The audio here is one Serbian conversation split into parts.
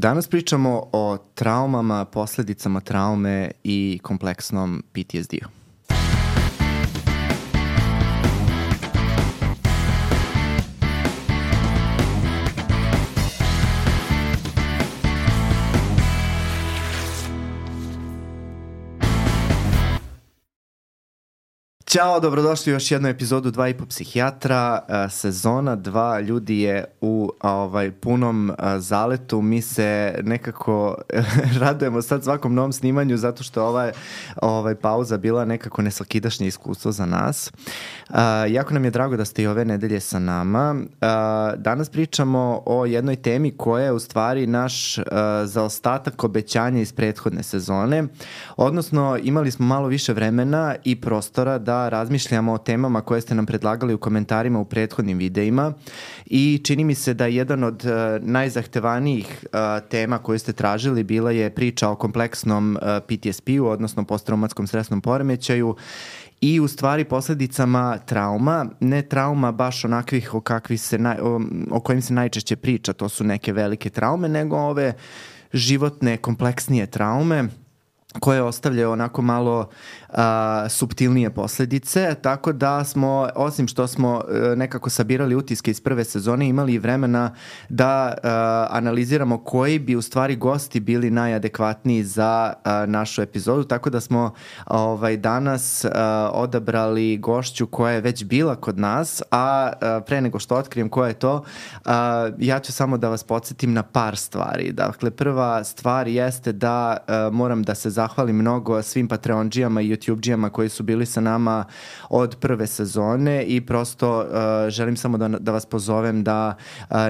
Danas pričamo o traumama, posledicama traume i kompleksnom PTSD-u. Ćao, dobrodošli u još jednu epizodu 2,5 psihijatra, sezona 2, ljudi je u punom zaletu, mi se nekako radujemo sad svakom novom snimanju zato što ova pauza bila nekako nesvakidašnje iskustvo za nas. Jako nam je drago da ste i ove nedelje sa nama. Danas pričamo o jednoj temi koja je u stvari naš zaostatak obećanja iz prethodne sezone, odnosno imali smo malo više vremena i prostora da razmišljamo o temama koje ste nam predlagali u komentarima u prethodnim videima i čini mi se da jedan od najzahtevanijih tema koje ste tražili bila je priča o kompleksnom PTSP-u, odnosno posttraumatskom stresnom poremećaju i u stvari posledicama trauma, ne trauma baš onakvih o kojim se najčešće priča, to su neke velike traume, nego ove životne, kompleksnije traume koje ostavljaju onako malo suptilnije posledice, tako da smo, osim što smo nekako sabirali utiske iz prve sezone, imali i vremena da analiziramo koji bi u stvari gosti bili najadekvatniji za našu epizodu, tako da smo danas odabrali gošću koja je već bila kod nas, a pre nego što otkrijem koja je to, ja ću samo da vas podsjetim na par stvari. Dakle, prva stvar jeste da moram da se zahvalim mnogo svim Patreondžijama i YouTubeđijama koji su bili sa nama od prve sezone i prosto želim samo da vas pozovem da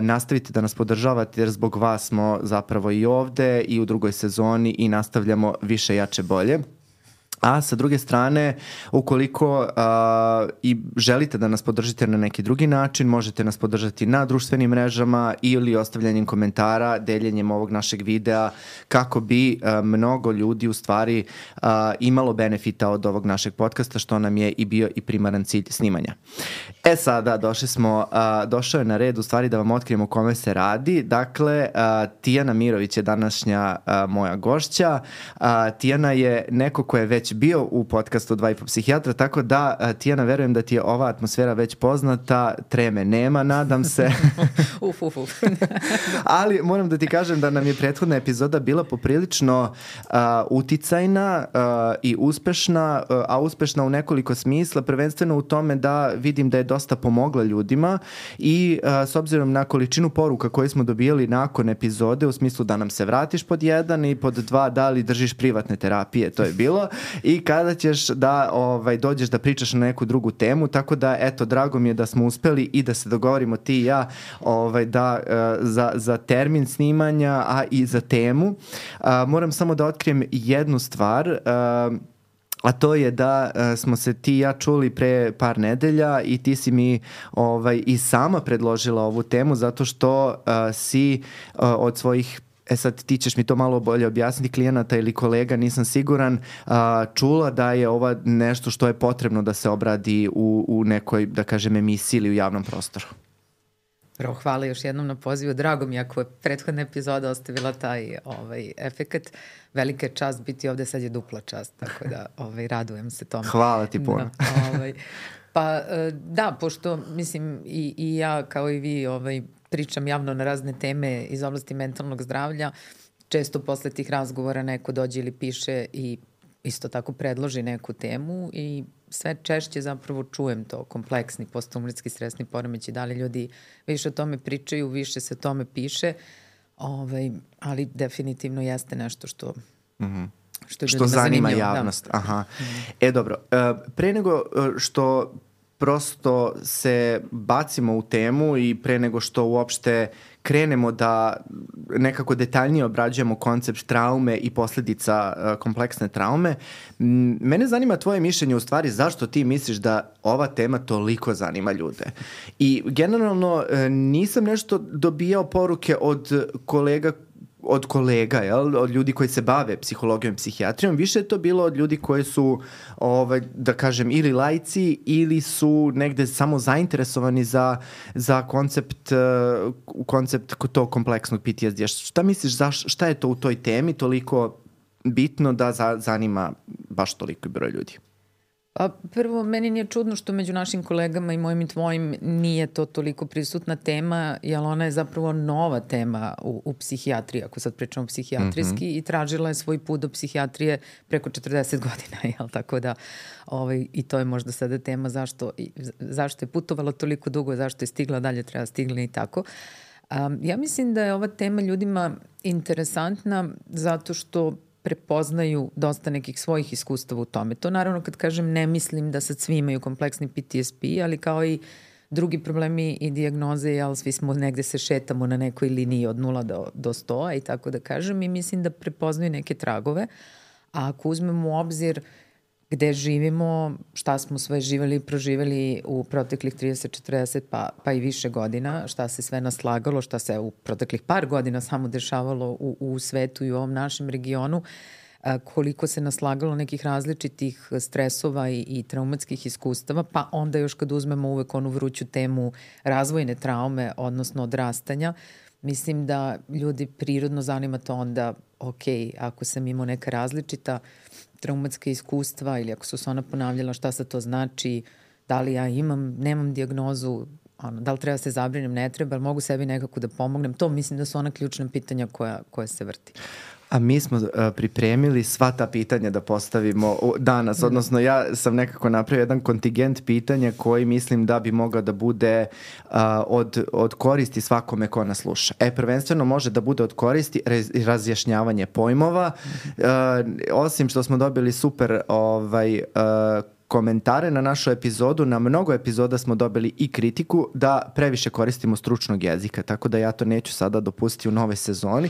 nastavite da nas podržavate jer zbog vas smo zapravo i ovde i u drugoj sezoni i nastavljamo više, jače, bolje. A sa druge strane, ukoliko i želite da nas podržite na neki drugi način, možete nas podržati na društvenim mrežama ili ostavljanjem komentara, deljenjem ovog našeg videa kako bi mnogo ljudi u stvari imalo benefita od ovog našeg podcasta, što nam je i bio i primaran cilj snimanja. Sada došao je na red u stvari da vam otkrijemo o kome se radi. Dakle, Tijana Mirović je današnja moja gošća. Tijana je neko ko je već bio u podcastu 2,5 psihijatra, tako da, Tijana, verujem da ti je ova atmosfera već poznata, treme nema, nadam se. Ali moram da ti kažem da nam je prethodna epizoda bila poprilično uticajna i uspešna, a uspešna u nekoliko smisla, prvenstveno u tome da vidim da je dosta pomogla ljudima i s obzirom na količinu poruka koje smo dobijali nakon epizode, u smislu da nam se vratiš pod 1 i pod 2, da li držiš privatne terapije, to je bilo, i kada ćeš da dođeš da pričaš na neku drugu temu, tako da eto, drago mi je da smo uspeli i da se dogovorimo ti i ja za termin snimanja, a i za temu. Moram samo da otkrijem jednu stvar, a to je da smo se ti i ja čuli pre par nedelja i ti si mi i sama predložila ovu temu zato što si od svojih, sad ti ćeš mi to malo bolje objasniti, klijenata ili kolega, nisam siguran, čula da je ova nešto što je potrebno da se obradi u nekoj, da kažem, emisiji ili u javnom prostoru. Prvo, hvala još jednom na pozivu. Drago mi ako je prethodna epizoda ostavila taj efekat. Velika je čast biti ovde, sad je dupla čast, tako da radujem se tome. Hvala ti puno. Pa da, pošto mislim i ja kao i vi pričam javno na razne teme iz oblasti mentalnog zdravlja, često posle tih razgovora neko dođe ili piše i isto tako predloži neku temu i sve češće zapravo čujem to, kompleksni posttraumatski stresni poremećaj, da li ljudi više o tome pričaju, više se o tome piše, ali definitivno jeste nešto što što zanima javnost. Da. Aha. Dobro, pre nego što prosto se bacimo u temu i pre nego što uopšte krenemo da nekako detaljnije obrađujemo koncept traume i posledica kompleksne traume, mene zanima tvoje mišljenje u stvari zašto ti misliš da ova tema toliko zanima ljude. I generalno nisam nešto dobijao poruke od kolega od kolega, jel? Od ljudi koji se bave psihologijom i psihijatrijom, više je to bilo od ljudi koji su, da kažem, ili laici ili su negde samo zainteresovani za koncept tog kompleksnog PTSD. Šta misliš, šta je to u toj temi toliko bitno da zanima baš toliko broj ljudi? Prvo, meni nije čudno što među našim kolegama i mojim i tvojim nije to toliko prisutna tema, jer ona je zapravo nova tema u psihijatriji, ako sad pričamo psihijatrijski, i tražila je svoj put do psihijatrije preko 40 godina, jel? Tako da i to je možda sada tema zašto je putovala toliko dugo, zašto je stigla dalje, treba stigla i tako. Ja mislim da je ova tema ljudima interesantna zato što prepoznaju dosta nekih svojih iskustava u tome. To naravno kad kažem ne mislim da sad svi imaju kompleksni PTSD, ali kao i drugi problemi i dijagnoze, jel, svi smo negde se šetamo na nekoj liniji od 0 do 100 i tako da kažem, i mislim da prepoznaju neke tragove. A ako uzmemo u obzir gde živimo, šta smo sve živeli i proživeli u proteklih 30, 40 pa i više godina, šta se sve naslagalo, šta se u proteklih par godina samo dešavalo u svetu i u ovom našem regionu, koliko se naslagalo nekih različitih stresova i traumatskih iskustava, pa onda još kad uzmemo uvek onu vruću temu razvojne traume, odnosno odrastanja, mislim da ljudi prirodno zanima to onda, ok, ako sam imao neka različita traumatska iskustva ili ako su se ona ponavljala, šta sad to znači, da li ja nemam dijagnozu, da li treba se zabrinem, ne treba, ali mogu sebi nekako da pomognem. To mislim da su ona ključna pitanja koja se vrti. A mi smo pripremili sva ta pitanja da postavimo danas, odnosno ja sam nekako napravio jedan kontingent pitanja koji mislim da bi mogao da bude od koristi svakome ko nas sluša. Prvenstveno može da bude od koristi razjašnjavanje pojmova, osim što smo dobili super komentare na našu epizodu, na mnogo epizoda smo dobili i kritiku da previše koristimo stručnog jezika, tako da ja to neću sada dopustiti u nove sezoni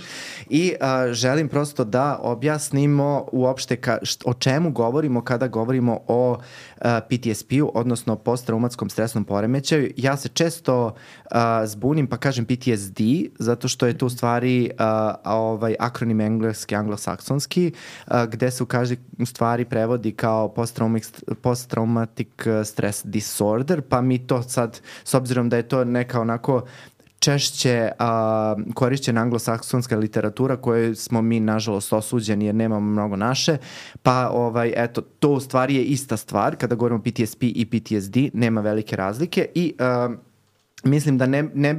i želim prosto da objasnimo uopšte o čemu govorimo kada govorimo o PTSP-u, odnosno posttraumatskom stresnom poremećaju. Ja se često zbunim pa kažem PTSD, zato što je to u stvari akronim engleski, anglosaksonski, gde se u stvari prevodi kao post-traumatic stress disorder, pa mi to sad, s obzirom da je to neka onako češće korišćena anglosaksonska literatura koju smo mi nažalost osuđeni jer nemamo mnogo naše, pa eto, to u stvari je ista stvar kada govorimo PTSP i PTSD, nema velike razlike i mislim da ne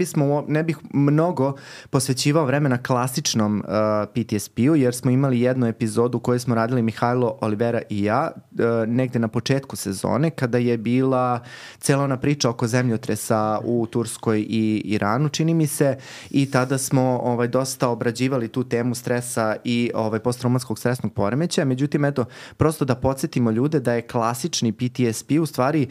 bih mnogo posvećivao vremena klasičnom PTSP-u, jer smo imali jednu epizodu koju smo radili Mihajlo, Olivera i ja, negde na početku sezone, kada je bila cela ona priča oko zemljotresa u Turskoj i Iranu, čini mi se, i tada smo dosta obrađivali tu temu stresa i posttraumatskog stresnog poremećaja. Međutim, eto, prosto da podsjetimo ljude da je klasični PTSP u stvari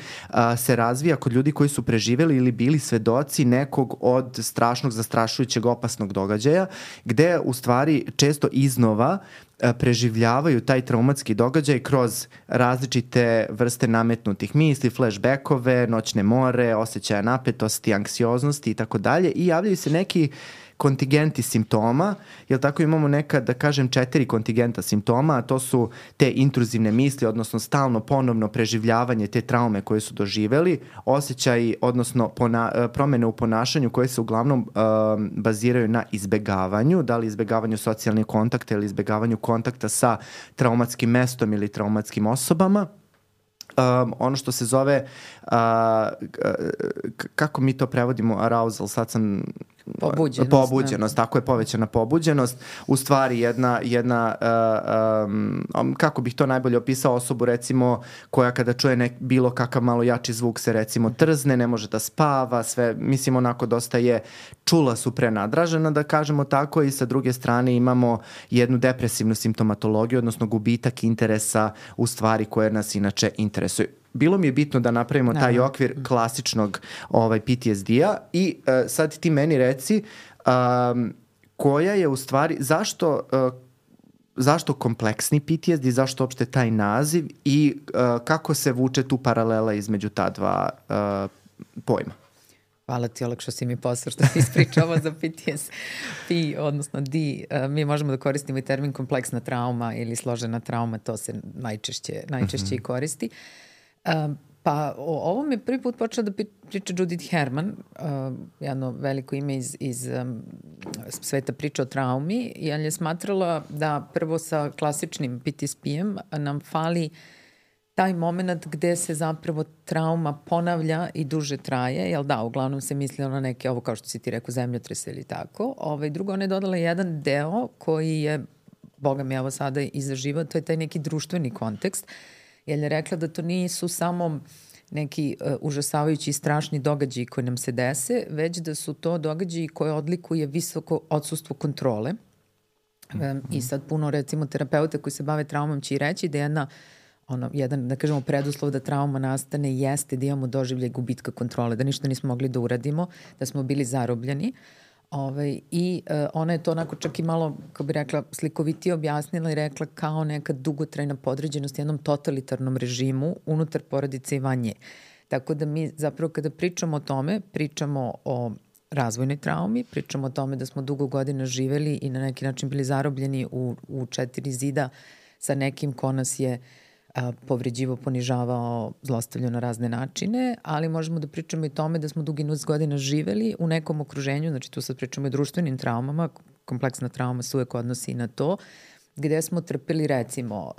se razvija kod ljudi koji su preživeli ili bili svedoci nekog od strašnog, zastrašujućeg, opasnog događaja, gde u stvari često iznova preživljavaju taj traumatski događaj kroz različite vrste nametnutih misli, flashbackove, noćne more, osjećaja napetosti, anksioznosti i tako dalje, i javljaju se neki kontingenti simptoma, jer tako imamo neka, da kažem, 4 kontingenta simptoma, a to su te intruzivne misli, odnosno stalno ponovno preživljavanje te traume koje su doživeli, osjećaji, odnosno promene u ponašanju koje se uglavnom baziraju na izbegavanju, da li izbegavanju socijalnih kontakta ili izbegavanju kontakta sa traumatskim mestom ili traumatskim osobama. Ono što se zove, kako mi to prevodimo, arousal, sad sam... Pobuđenost, tako je, povećana pobuđenost. U stvari jedna kako bih to najbolje opisao, osobu recimo koja kada čuje bilo kakav malo jači zvuk se recimo trzne, ne može da spava, sve, mislim onako dosta je čula su prenadražena, da kažemo tako, i sa druge strane imamo jednu depresivnu simptomatologiju, odnosno gubitak interesa u stvari koje nas inače interesuju. Bilo mi je bitno da napravimo taj okvir klasičnog PTSD-a i sad ti meni reci koja je u stvari, zašto kompleksni PTSD, zašto uopšte taj naziv i kako se vuče tu paralela između ta dva pojma? Hvala ti, olakšao si mi posao što si ispričao za PTSP, odnosno mi možemo da koristimo i termin kompleksna trauma ili složena trauma, to se najčešće i koristi. Pa o ovom je prvi put počela da priča Judith Herman, jedno veliko ime iz sveta priča o traumi, jer je smatrala da prvo sa klasičnim PTSP-em nam fali taj moment gde se zapravo trauma ponavlja i duže traje, jel da, uglavnom se mislilo na neke, ovo kao što si ti rekao, zemljotrese ili tako. Drugo, ona je dodala jedan deo koji je, boga mi evo sada izaživao, to je taj neki društveni kontekst, jer je rekla da to nisu samo neki užasavajući i strašni događaji koji nam se dese, već da su to događaji koje odlikuje visoko odsustvo kontrole. I sad puno, recimo, terapeuta koji se bave traumom će i reći da jedan, da kažemo, preduslov da trauma nastane jeste da imamo doživljaj gubitka kontrole, da ništa nismo mogli da uradimo, da smo bili zarobljeni. Ona je to onako čak i malo, kao bi rekla, slikovitije objasnila i rekla kao neka dugotrajna podređenost jednom totalitarnom režimu unutar porodice i van nje. Tako da mi zapravo kada pričamo o tome, pričamo o razvojnoj traumi, pričamo o tome da smo dugo godina živeli i na neki način bili zarobljeni u 4 zida sa nekim ko nas je povređivo, ponižavao, zlostavljao na razne načine, ali možemo da pričamo i tome da smo dugi niz godina živeli u nekom okruženju, znači tu sad pričamo o društvenim traumama, kompleksna trauma se uvek odnosi na to, gde smo trpeli recimo,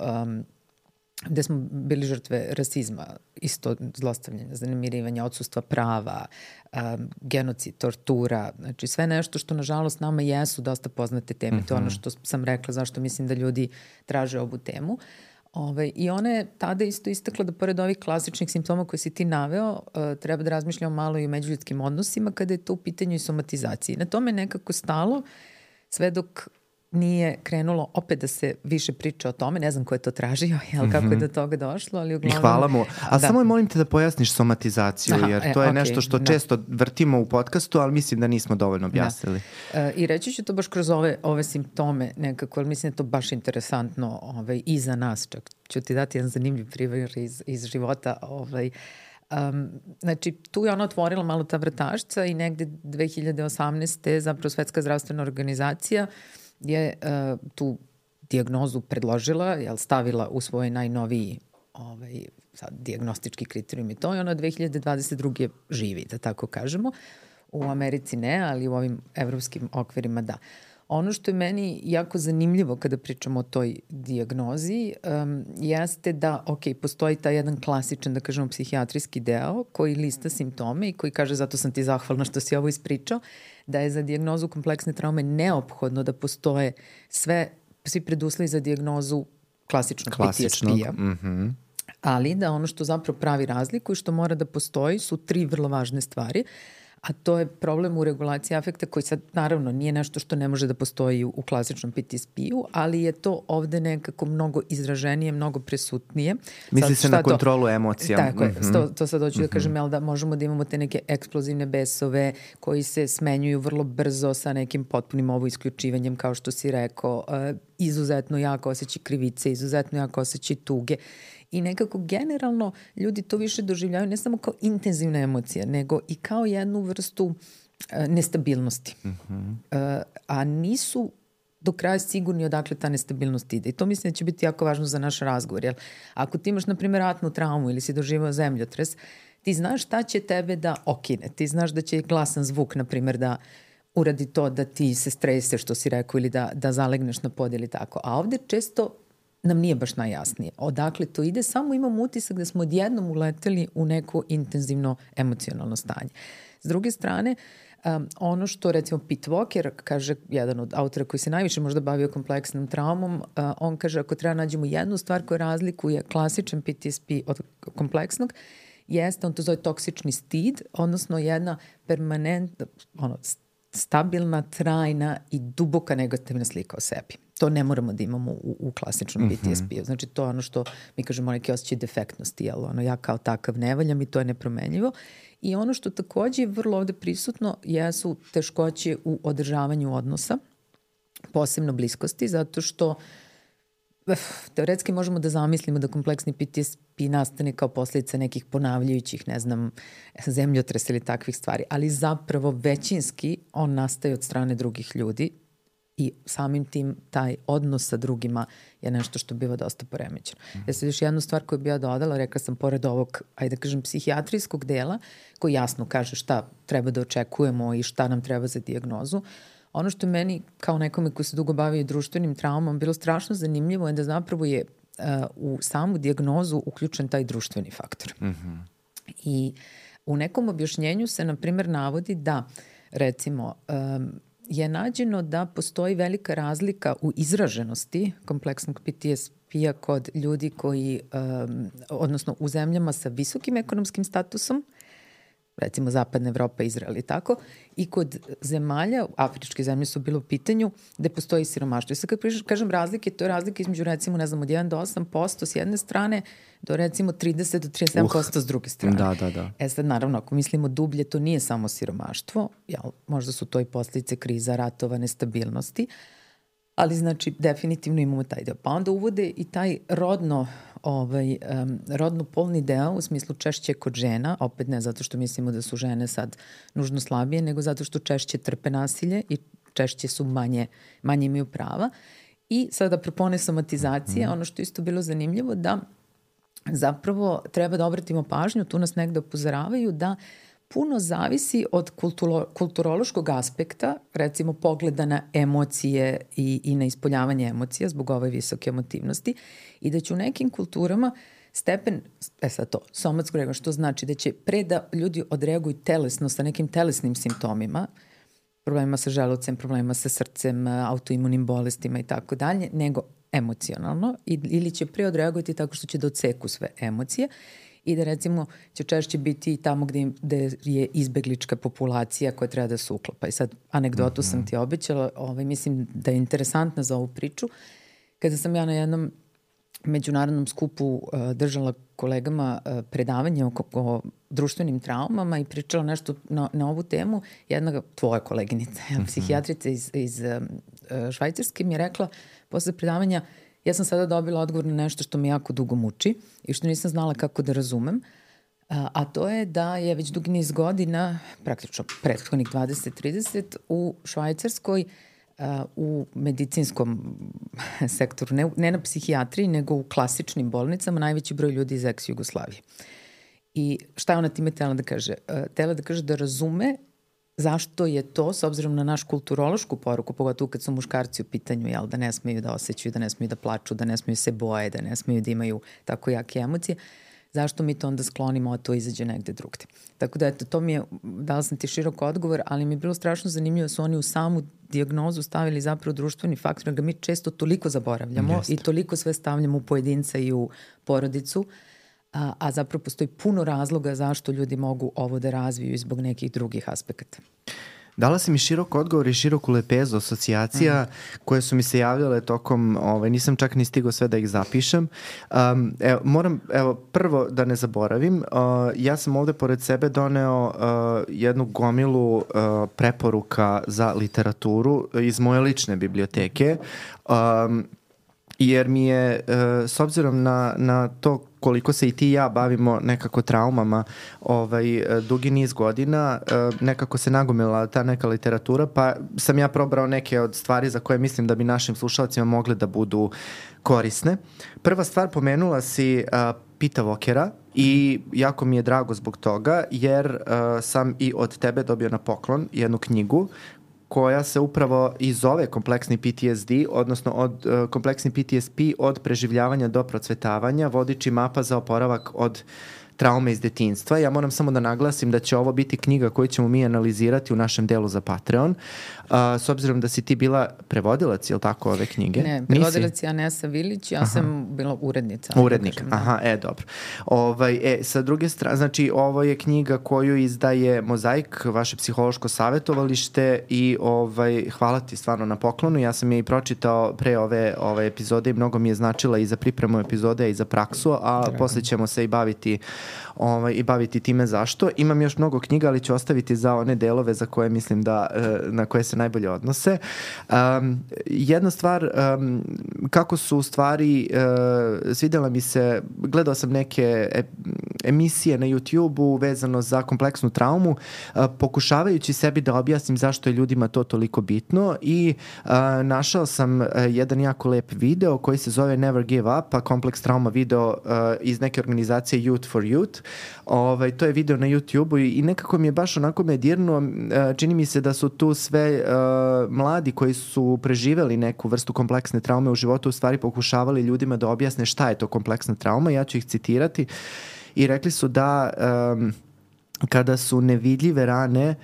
gde smo bili žrtve rasizma, isto zlostavljanja, zanemirivanja, odsustva prava, genocid, tortura, znači sve nešto što nažalost nama jesu dosta poznate teme, to je ono što sam rekla zašto mislim da ljudi traže ovu temu. I ona je tada isto istakla da pored ovih klasičnih simptoma koje si ti naveo, treba da razmišljamo malo i o međuljudskim odnosima kada je to u pitanju i somatizaciji. Na tome nekako stalo, sve dok nije krenulo opet da se više priča o tome, ne znam ko je to tražio, kako je do toga došlo, ali uglavnom... I hvala mu. A samo molim te da pojasniš somatizaciju, jer to je nešto što često vrtimo u podcastu, ali mislim da nismo dovoljno objasnili. I reći ću to baš kroz ove simptome nekako, ali mislim da je to baš interesantno i za nas, čak ću ti dati jedan zanimljiv primjer iz života. Znači, tu je ona otvorila malo ta vrtašca i negde 2018. zapravo Svetska zdravstvena organizacija je tu dijagnozu predložila, stavila u svoj najnoviji dijagnostički kriterijum i to, i ona 2022. živi, da tako kažemo. U Americi ne, ali u ovim evropskim okvirima da. Ono što je meni jako zanimljivo kada pričamo o toj dijagnozi jeste da, postoji taj jedan klasičan, da kažemo, psihijatrijski deo koji lista simptome i koji kaže, zato sam ti zahvalna što si ovo ispričao, da je za dijagnozu kompleksne traume neophodno da postoje svi preduslovi za dijagnozu klasičnog PTSP-a. Ali da ono što zapravo pravi razliku i što mora da postoji su 3 vrlo važne stvari. A to je problem u regulaciji afekta koji sad naravno nije nešto što ne može da postoji u klasičnom PTSP-u, ali je to ovde nekako mnogo izraženije, mnogo prisutnije. Misli se na kontrolu emocija. Tako je, to sad hoću da kažem, da možemo da imamo te neke eksplozivne besove koji se smenjuju vrlo brzo sa nekim potpunim isključivanjem, kao što si rekao, izuzetno jako osjećaj krivice, izuzetno jako osjećaj tuge. I nekako generalno ljudi to više doživljaju ne samo kao intenzivna emocija, nego i kao jednu vrstu nestabilnosti. A nisu do kraja sigurni odakle ta nestabilnost ide. I to mislim da će biti jako važno za naš razgovor. Jer ako ti imaš, na primjer, ratnu traumu ili si doživao zemljotres, ti znaš šta će tebe da okine. Ti znaš da će glasan zvuk, na primjer, da uradi to da ti se strese, što si rekao, ili da zalegneš na pod ili tako. A ovde često nam nije baš najjasnije. Odakle to ide, samo imamo utisak da smo odjednom uleteli u neko intenzivno emocionalno stanje. S druge strane, ono što recimo Pete Walker kaže, jedan od autora koji se najviše možda bavio kompleksnom traumom, on kaže ako treba nađemo jednu stvar koja razlikuje klasičan PTSP od kompleksnog, jeste, on to zove toksični stid, odnosno jedna permanentna, stabilna, trajna i duboka negativna slika o sebi. To ne moramo da imamo u klasičnom PTSP-u. Znači, to je ono što mi kažemo neki osjećaj defektnosti, ja kao takav ne valjam i to je nepromenljivo. I ono što takođe je vrlo ovde prisutno jesu teškoće u održavanju odnosa, posebno bliskosti, zato što teoretski možemo da zamislimo da kompleksni PTSP nastane kao posljedica nekih ponavljajućih, ne znam, zemljotresa ili takvih stvari, ali zapravo većinski on nastaje od strane drugih ljudi i samim tim taj odnos sa drugima je nešto što biva dosta poremećeno. Sad još jednu stvar koju bi ja dodala, rekla sam pored ovog, ajde da kažem, psihijatrijskog dela, koji jasno kaže šta treba da očekujemo i šta nam treba za dijagnozu, ono što meni, kao nekome koji se dugo bavi društvenim traumom, bilo strašno zanimljivo je da zapravo je u samu dijagnozu uključen taj društveni faktor. I u nekom objašnjenju se, na primjer, navodi da, recimo, je nađeno da postoji velika razlika u izraženosti kompleksnog PTSP-a kod ljudi koji, odnosno u zemljama sa visokim ekonomskim statusom, recimo Zapadna Evropa, Izrael i tako, i kod zemalja, afričke zemlje su bilo u pitanju, gde postoji siromaštvo. I sad kad kažem razlike, to je razlika između recimo, ne znam, od 1 do 8% s jedne strane, do recimo 30 do 37% s druge strane. Da. Sad naravno, ako mislimo dublje, to nije samo siromaštvo, možda su to i posljedice kriza, ratova, nestabilnosti, ali znači definitivno imamo taj deo. Pa onda uvode i taj rodno-polni deo, u smislu češće kod žena, opet ne zato što mislimo da su žene sad nužno slabije, nego zato što češće trpe nasilje i češće su manje imaju prava. I sada propone somatizacije, ono što isto bilo zanimljivo, da zapravo treba da obratimo pažnju, tu nas negde upozoravaju da puno zavisi od kulturološkog aspekta, recimo pogleda na emocije i na ispoljavanje emocija zbog ove visoke emotivnosti, i da će u nekim kulturama stepen, sad to, somatsko reagovanje, što znači da će pre da ljudi odreaguju telesno sa nekim telesnim simptomima, problemima sa želucem, problemima sa srcem, autoimunim bolestima i tako dalje, nego emocionalno, ili će pre odreagovati tako što će da odseku sve emocije, i da recimo će češće biti tamo gde je izbeglička populacija koja treba da se uklapa. I sad anegdotu sam ti obećala, mislim da je interesantna za ovu priču. Kada sam ja na jednom međunarodnom skupu držala kolegama predavanje o društvenim traumama i pričala nešto na ovu temu, jedna tvoja koleginica, psihijatrica iz Švajcarske, mi je rekla posle predavanja: ja sam sada dobila odgovor na nešto što me jako dugo muči i što nisam znala kako da razumem, a to je da je već dugi niz godina, praktično prethodnih 20-30, u Švajcarskoj u medicinskom sektoru, ne na psihijatriji, nego u klasičnim bolnicama, najveći broj ljudi iz ex-Jugoslavije. I šta je ona time htela da kaže? Htela da kaže da razume zašto je to, s obzirom na naš kulturološku poruku, pogotovo kad su muškarci u pitanju, jel, da ne smeju da osjećaju, da ne smeju da plaču, da ne smeju se boje, da ne smeju da imaju tako jake emocije, zašto mi to onda sklonimo, a to izađe negde drugde. Tako da, eto, to mi je, dala sam ti širok odgovor, ali mi je bilo strašno zanimljivo da su oni u samu dijagnozu stavili zapravo društveni faktor, da ga mi često toliko zaboravljamo i toliko sve stavljamo u pojedinca i u porodicu, a zapravo postoji puno razloga zašto ljudi mogu ovo da razviju zbog nekih drugih aspekata. Dala si mi širok odgovor i široku lepezu asocijacija koje su mi se javljale tokom, nisam čak ni stigao sve da ih zapišem. Prvo da ne zaboravim, ja sam ovde pored sebe doneo jednu gomilu preporuka za literaturu iz moje lične biblioteke, jer mi je, s obzirom na to koliko se i ti i ja bavimo nekako traumama dugi niz godina, nekako se nagomila ta neka literatura, pa sam ja probrao neke od stvari za koje mislim da bi našim slušalcima mogle da budu korisne. Prva stvar, pomenula si Pita Walkera i jako mi je drago zbog toga, jer sam i od tebe dobio na poklon jednu knjigu koja se upravo i zove kompleksni PTSD, odnosno od kompleksni PTSP od preživljavanja do procvetavanja, vodiči mapa za oporavak od traume iz detinjstva. Ja moram samo da naglasim da će ovo biti knjiga koju ćemo mi analizirati u našem delu za Patreon. S obzirom da si ti bila prevodilac, je li tako, ove knjige? Ne, prevodilac je Anesa Vilić, ja sam bila urednica. Urednik, dobro. Sa druge strane, znači ovo je knjiga koju izdaje Mozaik, vaše psihološko savjetovalište, i hvala ti stvarno na poklonu. Ja sam je i pročitao pre ove epizode i mnogo mi je značila i za pripremu epizode i za praksu, a posle ćemo se i baviti i baviti time zašto. Imam još mnogo knjiga, ali ću ostaviti za one delove za koje mislim da, na koje se najbolje odnose. Jedna stvar, kako su u stvari, svidjela mi se, gledao sam neke emisije na YouTube-u vezano za kompleksnu traumu, pokušavajući sebi da objasnim zašto je ljudima to toliko bitno i našao sam jedan jako lep video koji se zove Never Give Up, a kompleks trauma video iz neke organizacije Youth for Youth. To je video na YouTube-u i nekako mi je baš onako me dirnuo. Čini mi se da su tu sve mladi koji su preživeli neku vrstu kompleksne traume u životu u stvari pokušavali ljudima da objasne šta je to kompleksna trauma. Ja ću ih citirati i rekli su da kada su nevidljive rane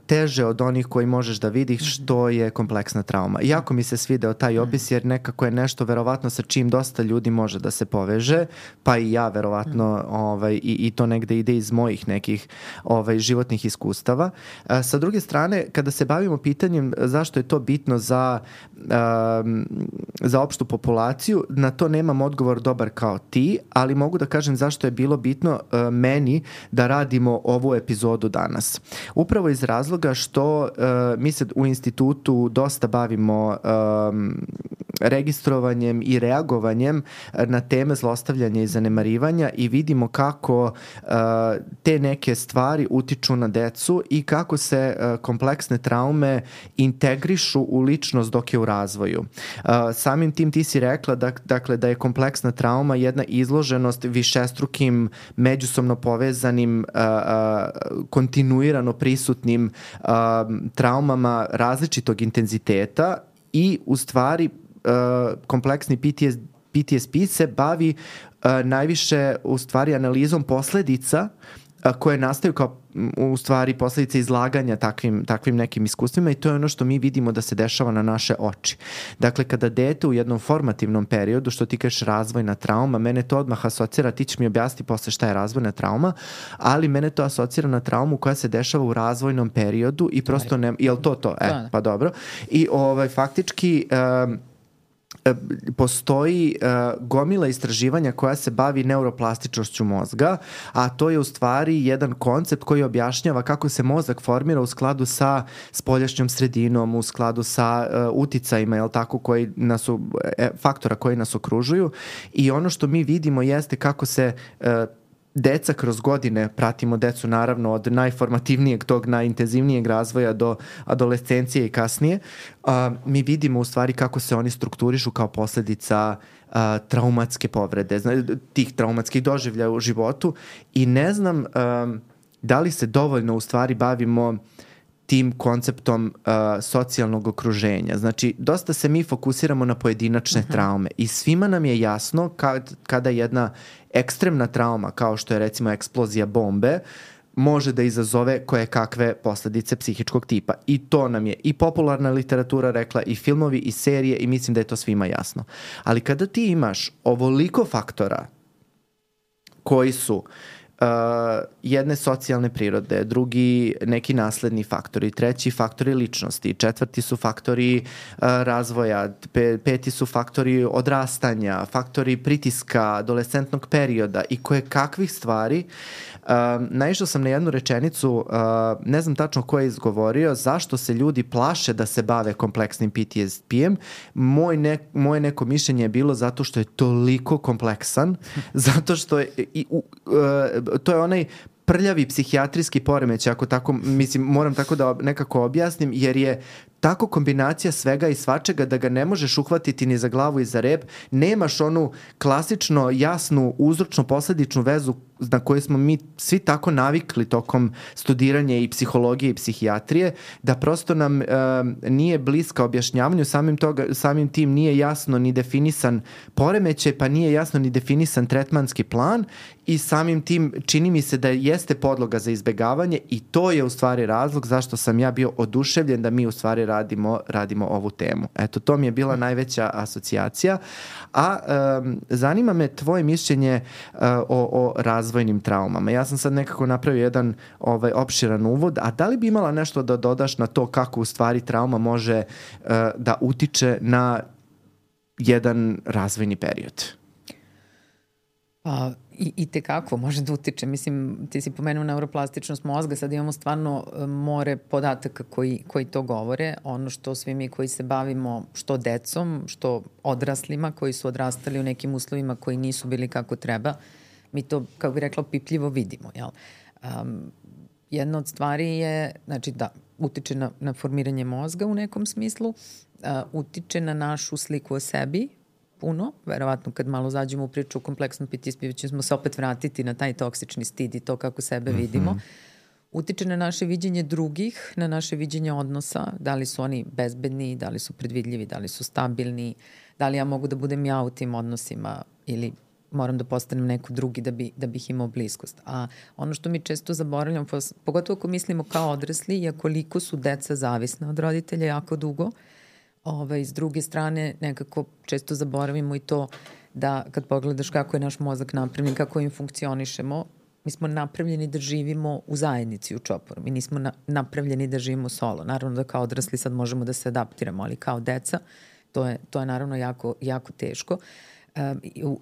teže od onih koji možeš da vidiš, što je kompleksna trauma. Jako mi se svideo taj opis jer nekako je nešto verovatno sa čim dosta ljudi može da se poveže, pa i ja verovatno i to negde ide iz mojih nekih životnih iskustava. Sa druge strane, kada se bavimo pitanjem zašto je to bitno za opštu populaciju, na to nemam odgovor dobar kao ti, ali mogu da kažem zašto je bilo bitno meni da radimo ovu epizodu danas. Upravo iz razloga što mi se u institutu dosta bavimo registrovanjem i reagovanjem na teme zlostavljanja i zanemarivanja i vidimo kako te neke stvari utiču na decu i kako se kompleksne traume integrišu u ličnost dok je u razvoju. Samim tim ti si rekla da je kompleksna trauma jedna izloženost višestrukim, međusobno povezanim, kontinuirano prisutnim traumama različitog intenziteta i u stvari kompleksni PTSP se bavi najviše u stvari analizom posledica koje nastaju kao u stvari posljedice izlaganja takvim nekim iskustvima i to je ono što mi vidimo da se dešava na naše oči. Dakle, kada dete u jednom formativnom periodu, što ti kažeš razvojna trauma, mene to odmah asocira, ti ćeš mi objasniti posle šta je razvojna trauma, ali mene to asocira na traumu koja se dešava u razvojnom periodu i prosto ne... Jel to? Pa dobro. I faktički... postoji gomila istraživanja koja se bavi neuroplastičnošću mozga, a to je u stvari jedan koncept koji objašnjava kako se mozak formira u skladu sa spoljašnjom sredinom, u skladu sa uticajima, faktora koji nas okružuju i ono što mi vidimo jeste kako se deca kroz godine, pratimo decu naravno od najformativnijeg tog najintenzivnijeg razvoja do adolescencije i kasnije, mi vidimo u stvari kako se oni strukturišu kao posljedica traumatske povrede, tih traumatskih doživljaja u životu i ne znam da li se dovoljno u stvari bavimo tim konceptom socijalnog okruženja. Znači, dosta se mi fokusiramo na pojedinačne traume i svima nam je jasno kada jedna ekstremna trauma, kao što je recimo eksplozija bombe, može da izazove koje kakve posljedice psihičkog tipa. I to nam je i popularna literatura rekla, i filmovi, i serije, i mislim da je to svima jasno. Ali kada ti imaš ovoliko faktora koji su jedne socijalne prirode, drugi neki nasledni faktori, treći faktori ličnosti, četvrti su faktori razvoja, peti su faktori odrastanja, faktori pritiska, adolescentnog perioda i koje kakvih stvari. Naišao sam na jednu rečenicu, ne znam tačno ko je izgovorio, zašto se ljudi plaše da se bave kompleksnim PTSP-em. Moje neko mišljenje je bilo zato što je toliko kompleksan, zato što je, to je onaj prljavi psihijatrijski poremećaj, ako tako, mislim, moram tako da nekako objasnim, jer je tako kombinacija svega i svačega da ga ne možeš uhvatiti ni za glavu i za rep. Nemaš onu klasično jasnu uzročno-posledičnu vezu na koju smo mi svi tako navikli tokom studiranja i psihologije i psihijatrije, da prosto nam nije bliska objašnjavanju, samim tim nije jasno ni definisan poremećaj, pa nije jasno ni definisan tretmanski plan i samim tim čini mi se da jeste podloga za izbegavanje i to je u stvari razlog zašto sam ja bio oduševljen da mi u stvari radimo ovu temu. Eto, to mi je bila najveća asocijacija. A zanima me tvoje mišljenje o razvojnim traumama. Ja sam sad nekako napravio jedan opširan uvod, a da li bi imala nešto da dodaš na to kako u stvari trauma može da utiče na jedan razvojni period? Pa, I tekako može da utiče. Mislim, ti si pomenuo neuroplastičnost mozga, sad imamo stvarno more podataka koji to govore. Ono što svi mi koji se bavimo što decom, što odraslima koji su odrastali u nekim uslovima koji nisu bili kako treba, mi to, kako bi rekla, pipljivo vidimo. Jel? Jedna od stvari je, znači da, utiče na formiranje mozga u nekom smislu, utiče na našu sliku o sebi, puno, verovatno kad malo zađemo u priču o kompleksnom PTSD ćemo se opet vratiti na taj toksični stid i to kako sebe vidimo. Utiče na naše viđenje drugih, na naše viđenje odnosa, da li su oni bezbedni, da li su predvidljivi, da li su stabilni, da li ja mogu da budem ja u tim odnosima ili moram da postanem neko drugi da bih imao bliskost. A ono što mi često zaboravljamo, pogotovo ako mislimo kao odrasli, je koliko su deca zavisna od roditelja jako dugo. S druge strane, nekako često zaboravimo i to da kad pogledaš kako je naš mozak napravljen, kako im funkcionišemo, mi smo napravljeni da živimo u zajednici u čoporu. Mi nismo napravljeni da živimo solo. Naravno da kao odrasli sad možemo da se adaptiramo, ali kao deca to je naravno jako, jako teško.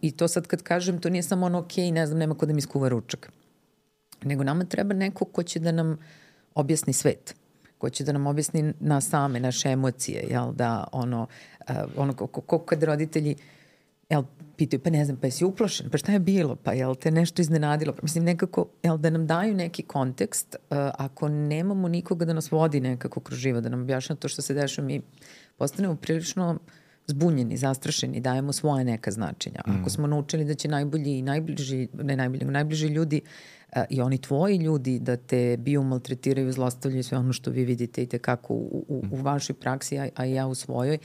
I to sad kad kažem, to nije samo ono ok, ne znam, nema ko da mi skuva ručak. Nego nama treba neko ko će da nam objasni svet. Ko će da nam objasni nas same, naše emocije, jel, da ono kad roditelji pitaju, pa ne znam, pa jesi uplašen, pa šta je bilo, pa jel te nešto iznenadilo, pa mislim nekako, jel, da nam daju neki kontekst, ako nemamo nikoga da nas vodi nekako kroz život, da nam objašnja to što se dešava, mi postanemo prilično zbunjeni, zastrašeni, dajemo svoje neka značenja. Ako smo naučili da će najbolji i najbliži ljudi i oni tvoji ljudi da te maltretiraju, zlostavljaju, sve ono što vi vidite i tekako u vašoj praksi, a i ja u svojoj,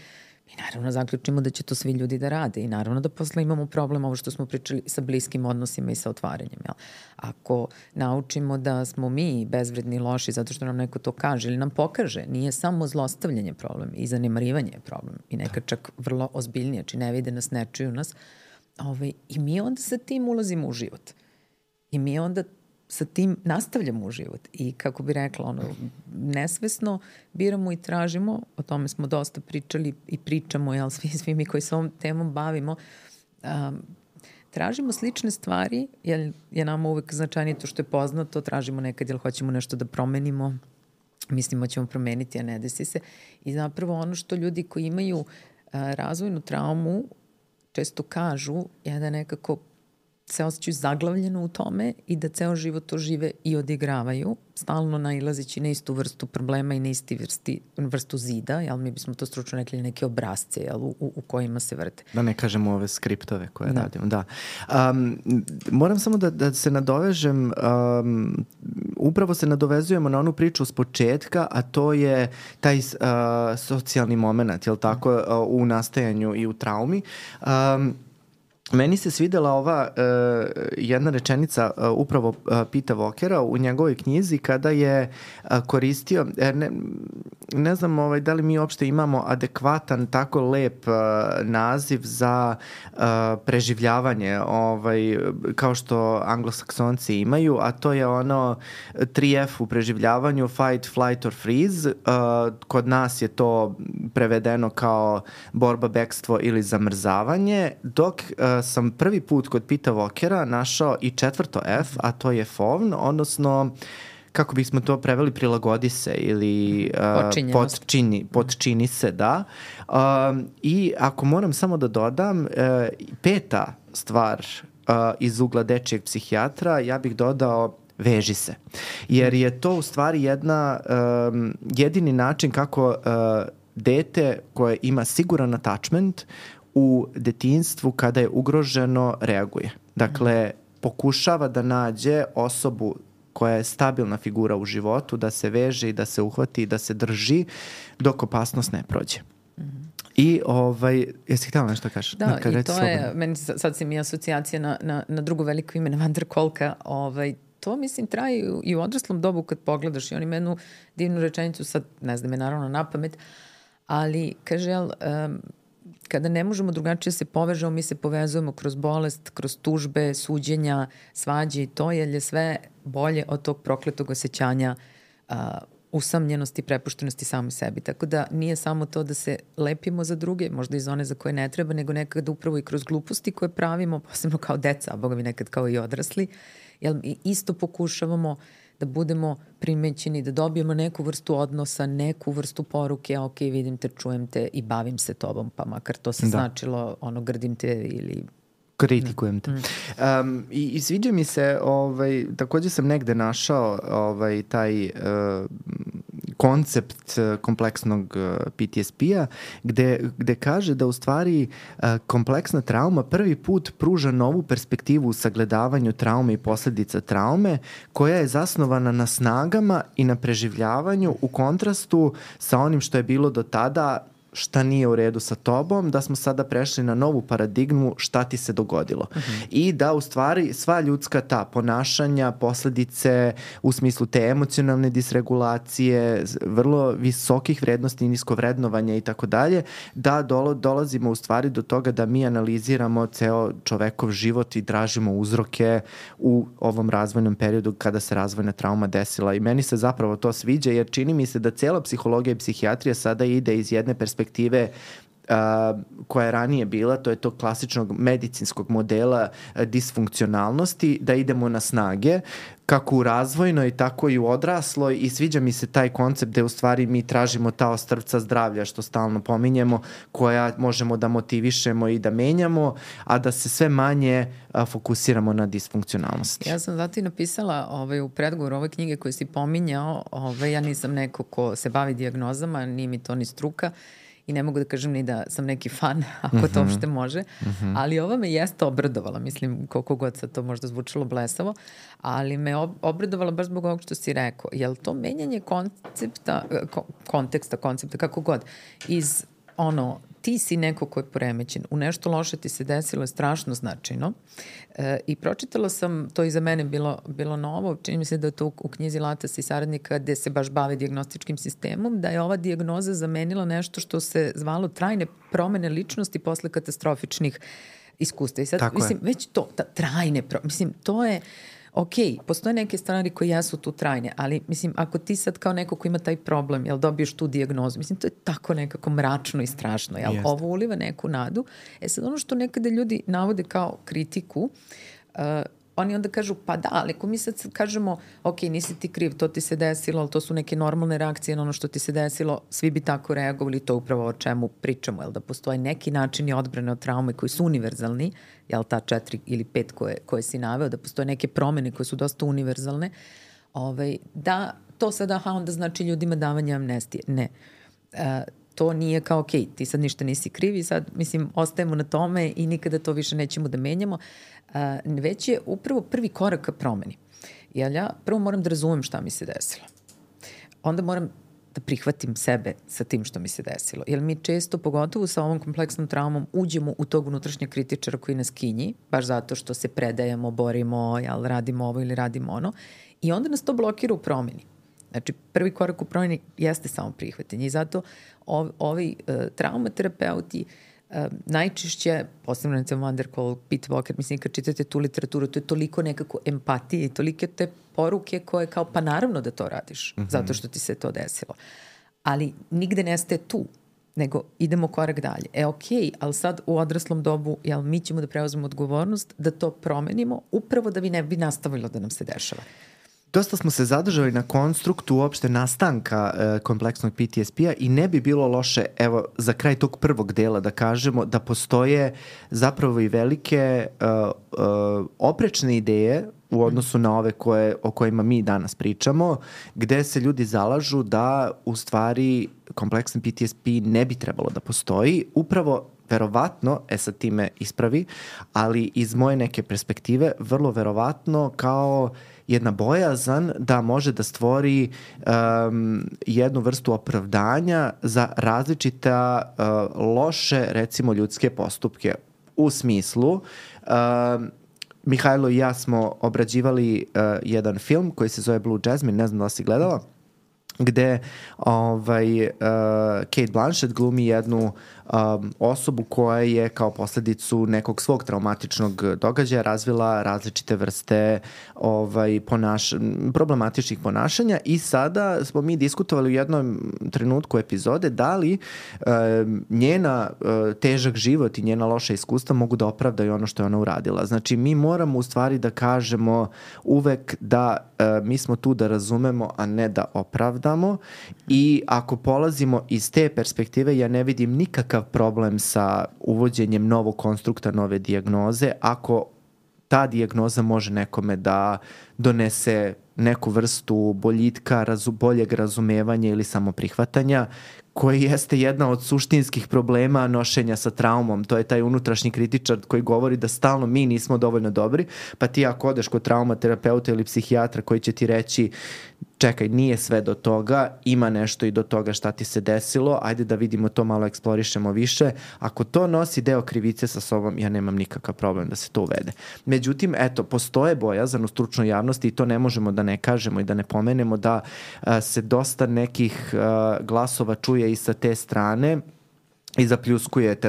mi naravno zaključimo da će to svi ljudi da rade i naravno da posle imamo problem ovo što smo pričali sa bliskim odnosima i sa otvaranjem. Jel? Ako naučimo da smo mi bezvredni, loši zato što nam neko to kaže ili nam pokaže, nije samo zlostavljanje problem i zanemarivanje je problem i nekad čak vrlo ozbiljnije, či ne vide nas, ne čuju nas. I mi onda sa tim ulazimo u život. I mi onda sa tim nastavljamo u život. I kako bi rekla, nesvesno biramo i tražimo, o tome smo dosta pričali i pričamo, jel, svi mi koji se ovom temom bavimo, tražimo slične stvari, jer je nama uvek značajnije to što je poznato, tražimo nekad, jel hoćemo nešto da promenimo, mislimo ćemo promeniti, a ne desi se. I zapravo ono što ljudi koji imaju razvojnu traumu često kažu je da nekako se osjećaju zaglavljeno u tome i da ceo život to žive i odigravaju, stalno nailazeći na istu vrstu problema i na isti vrstu zida, jel, mi bismo to stručno rekli neke obrazce, jel, u kojima se vrte. Da ne kažemo ove skriptove koje radimo. Da. Moram samo da se nadovežem, upravo se nadovezujemo na onu priču s početka, a to je taj socijalni moment, jel tako, u nastajanju i u traumi. Meni se svidela ova jedna rečenica upravo Pita Walkera u njegovoj knjizi kada je koristio, ne znam da li mi uopšte imamo adekvatan tako lep naziv za preživljavanje kao što anglosaksonci imaju, a to je ono 3F u preživljavanju, fight, flight or freeze. Kod nas je to prevedeno kao borba, bekstvo ili zamrzavanje, dok sam prvi put kod Pita Walkera našao i 4. F, a to je FOVN, odnosno kako bismo to preveli, prilagodi se ili potčini se, da. I ako moram samo da dodam, 5. stvar iz ugla dečijeg psihijatra, ja bih dodao veži se. Jer je to u stvari jedini način kako dete koje ima siguran attachment u detinjstvu kada je ugroženo reaguje. Dakle, pokušava da nađe osobu koja je stabilna figura u životu, da se veže i da se uhvati i da se drži dok opasnost ne prođe. I jesi htjela nešto kažeš? Da, i to je, meni sad si mi asocijacija na drugo veliko ime, na Van der Kolka, to mislim traje i u odraslom dobu kad pogledaš i on ima jednu divnu rečenicu, sad ne znam je naravno na pamet, ali kaže, kada ne možemo drugačije se povežemo, mi se povezujemo kroz bolest, kroz tužbe, suđenja, svađe i to, jer je sve bolje od tog prokletog osjećanja usamljenosti, prepuštenosti sami sebi. Tako da nije samo to da se lepimo za druge, možda i za one za koje ne treba, nego nekada upravo i kroz gluposti koje pravimo, posebno kao deca, a boga mi nekad kao i odrasli, jer isto pokušavamo da budemo primećeni, da dobijemo neku vrstu odnosa, neku vrstu poruke, ok, vidim te, čujem te i bavim se tobom, pa makar to se značilo, grdim te ili kritikujem te. I sviđa mi se, takođe sam negde našao taj koncept kompleksnog PTSP-a gde kaže da u stvari kompleksna trauma prvi put pruža novu perspektivu u sagledavanju traume i posledica traume koja je zasnovana na snagama i na preživljavanju u kontrastu sa onim što je bilo do tada, šta nije u redu sa tobom, da smo sada prešli na novu paradigmu šta ti se dogodilo. I da u stvari sva ljudska ta ponašanja, posledice u smislu te emocionalne disregulacije, vrlo visokih vrednosti i niskovrednovanja i tako dalje, da dolazimo u stvari do toga da mi analiziramo ceo čovekov život i tražimo uzroke u ovom razvojnom periodu kada se razvojna trauma desila. I meni se zapravo to sviđa jer čini mi se da cela psihologija i psihijatrija sada ide iz jedne perspektive koja je ranije bila, to je to klasičnog medicinskog modela disfunkcionalnosti, da idemo na snage, kako u razvojnoj, tako i u odrasloj i sviđa mi se taj koncept gde u stvari mi tražimo ta ostrvca zdravlja, što stalno pominjemo, koja možemo da motivišemo i da menjamo, a da se sve manje fokusiramo na disfunkcionalnosti. Ja sam zato i napisala u predgovoru ove knjige koje si pominjao, ja nisam neko ko se bavi dijagnozama, nije mi to ni struka, i ne mogu da kažem ni da sam neki fan, ako to uopšte može, ali ova me jeste obradovala, mislim, koliko god sad to možda zvučalo blesavo, ali me obradovala baš zbog ovog što si rekao. Je li to menjanje konteksta, kako god, iz ti si neko ko je poremećen, u nešto loše ti se desilo je strašno značajno i pročitala sam, to i za mene bilo novo, čini mi se da je to u knjizi Latas i saradnika gde se baš bave dijagnostičkim sistemom, da je ova dijagnoza zamenila nešto što se zvalo trajne promene ličnosti posle katastrofičnih iskustva. I sad, mislim, već to, trajne promene, mislim, to je ok, postoje neke stvari koje jesu tu trajne, ali mislim, ako ti sad kao neko ko ima taj problem, jel dobiješ tu dijagnozu, mislim, to je tako nekako mračno i strašno, jel? Ovo uliva neku nadu. Sad ono što nekada ljudi navode kao kritiku, oni onda kažu, pa da, ali ako mi sad kažemo, ok, nisi ti kriv, to ti se desilo, ali to su neke normalne reakcije na ono što ti se desilo, svi bi tako reagovali, to upravo o čemu pričamo, jel da postoje neki načini odbrane od traume koji su univerzalni, jel ta 4 ili 5 koje si naveo, da postoje neke promene koje su dosta univerzalne, da to sada, onda znači ljudima davanje amnestije. Ne. To nije kao, ok, ti sad ništa nisi kriv i sad, mislim, ostajemo na tome i nikada to više nećemo da menjamo. Već je upravo prvi korak ka promeni. Jer ja prvo moram da razumem šta mi se desilo. Onda moram da prihvatim sebe sa tim što mi se desilo. Jer mi često, pogotovo sa ovom kompleksnom traumom, uđemo u tog unutrašnjeg kritičara koji nas kinji, baš zato što se predajemo, borimo, radimo ovo ili radimo ono. I onda nas to blokira u promeni. Znači, prvi korak u promeni jeste samo prihvatanje. I zato ovi traumaterapeuti najčešće, posebno recimo Van der Kolk, Pete Walker, mislim, kad čitate tu literaturu, to je toliko nekako empatije i tolike te poruke koje kao, pa naravno da to radiš, zato što ti se to desilo. Ali nigde nestaje tu, nego idemo korak dalje. Okej, ali sad u odraslom dobu, mi ćemo da preuzmemo odgovornost, da to promenimo, upravo da bi ne bi nastavilo da nam se dešava. Dosta smo se zadržali na konstruktu uopšte nastanka kompleksnog PTSP-a i ne bi bilo loše, evo, za kraj tog prvog dela da kažemo da postoje zapravo i velike oprečne ideje u odnosu na ove o kojima mi danas pričamo, gde se ljudi zalažu da u stvari kompleksan PTSP ne bi trebalo da postoji, upravo verovatno, sad time ispravi, ali iz moje neke perspektive, vrlo verovatno kao jedna bojazan da može da stvori jednu vrstu opravdanja za različita loše, recimo, ljudske postupke. U smislu, Mihajlo i ja smo obrađivali jedan film koji se zove Blue Jasmine, ne znam da li si gledala, gde Kate Blanchett glumi jednu osobu koja je kao posledicu nekog svog traumatičnog događaja razvila različite vrste problematičnih ponašanja i sada smo mi diskutovali u jednom trenutku epizode da li njena težak život i njena loša iskustva mogu da opravdaju ono što je ona uradila. Znači mi moramo u stvari da kažemo uvek da mi smo tu da razumemo, a ne da opravdamo i ako polazimo iz te perspektive ja ne vidim nikakav problem sa uvođenjem novog konstrukta, nove dijagnoze ako ta dijagnoza može nekome da donese neku vrstu boljitka, boljeg razumevanja ili samoprihvatanja koji jeste jedna od suštinskih problema nošenja sa traumom. To je taj unutrašnji kritičar koji govori da stalno mi nismo dovoljno dobri, pa ti ako odeš kod traumaterapeuta ili psihijatra koji će ti reći čekaj, nije sve do toga, ima nešto i do toga šta ti se desilo, ajde da vidimo to, malo eksplorišemo više. Ako to nosi deo krivice sa sobom, ja nemam nikakav problem da se to uvede. Međutim, eto, postoje bojazan u stručnoj javnosti i to ne možemo da ne kažemo i da ne pomenemo da se dosta nekih glasova čuje i sa te strane i zapljuskuje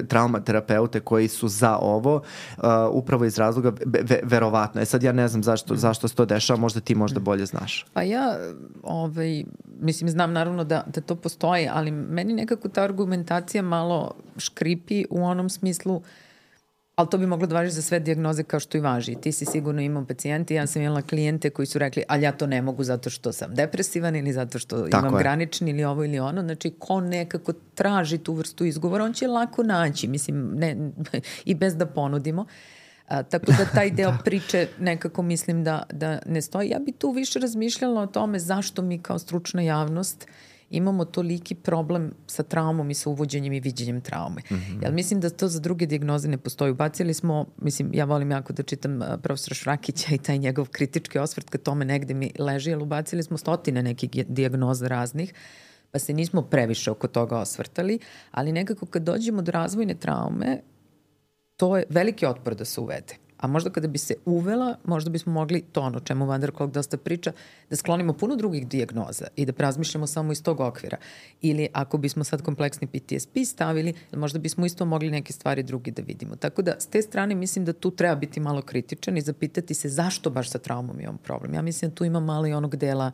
traumaterapeute koji su za ovo, upravo iz razloga, verovatno. Sad ja ne znam zašto se to dešava, možda ti možda bolje znaš. Pa ja, mislim, znam naravno da to postoji, ali meni nekako ta argumentacija malo škripi u onom smislu, ali to bi moglo da važi za sve dijagnoze kao što i važi. Ti si sigurno imao pacijenti, ja sam imala klijente koji su rekli, ali ja to ne mogu zato što sam depresivan ili zato što imam granični ili ovo ili ono. Znači, ko nekako traži tu vrstu izgovora, on će lako naći, mislim, i bez da ponudimo. Tako da taj deo priče nekako mislim da ne stoji. Ja bi tu više razmišljala o tome zašto mi kao stručna javnost imamo toliki problem sa traumom i sa uvođenjem i viđenjem traume. Ja mislim da to za druge dijagnoze ne postoji. Ubacili smo, mislim, ja volim jako da čitam profesora Šrakića i taj njegov kritički osvrt kad tome negde mi leži, ali ubacili smo stotine nekih dijagnoza raznih, pa se nismo previše oko toga osvrtali, ali nekako kad dođemo do razvojne traume, to je veliki otpor da se uvede. A možda kada bi se uvela, možda bismo mogli to ono čemu Van der Kolk dosta priča, da sklonimo puno drugih dijagnoza i da razmišljamo samo iz tog okvira. Ili ako bismo sad kompleksni PTSP stavili, možda bismo isto mogli neke stvari drugi da vidimo. Tako da s te strane mislim da tu treba biti malo kritičan i zapitati se zašto baš sa traumom imamo problem. Ja mislim da tu ima malo i onog dela,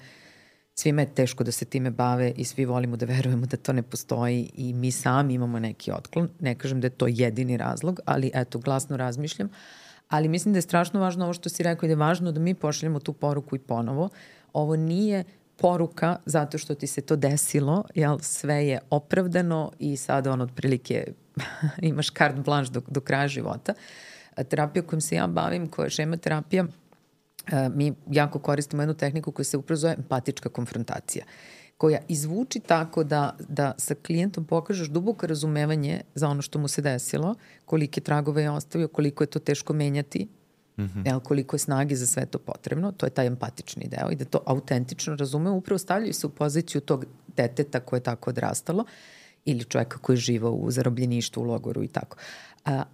svima je teško da se time bave i svi volimo da verujemo da to ne postoji i mi sami imamo neki otklon. Ne kažem da je to jedini razlog, ali eto, glasno razmišljam. Ali mislim da je strašno važno ovo što si rekao i da je važno da mi pošaljemo tu poruku i ponovo. Ovo nije poruka zato što ti se to desilo, jel sve je opravdano i sada on otprilike imaš carte blanche do kraja života. Terapija kojom se ja bavim, koja je šema terapija, mi jako koristimo jednu tehniku koja se upravo zove empatička konfrontacija, koja izvuči tako da sa klijentom pokažeš duboko razumevanje za ono što mu se desilo, kolike tragove je ostavio, koliko je to teško menjati, koliko je snage za sve to potrebno, to je taj empatični deo i da to autentično razume, upravo stavljaju se u poziciju tog deteta koje je tako odrastalo ili čovjeka koji je živao u zarobljeništvu, u logoru i tako.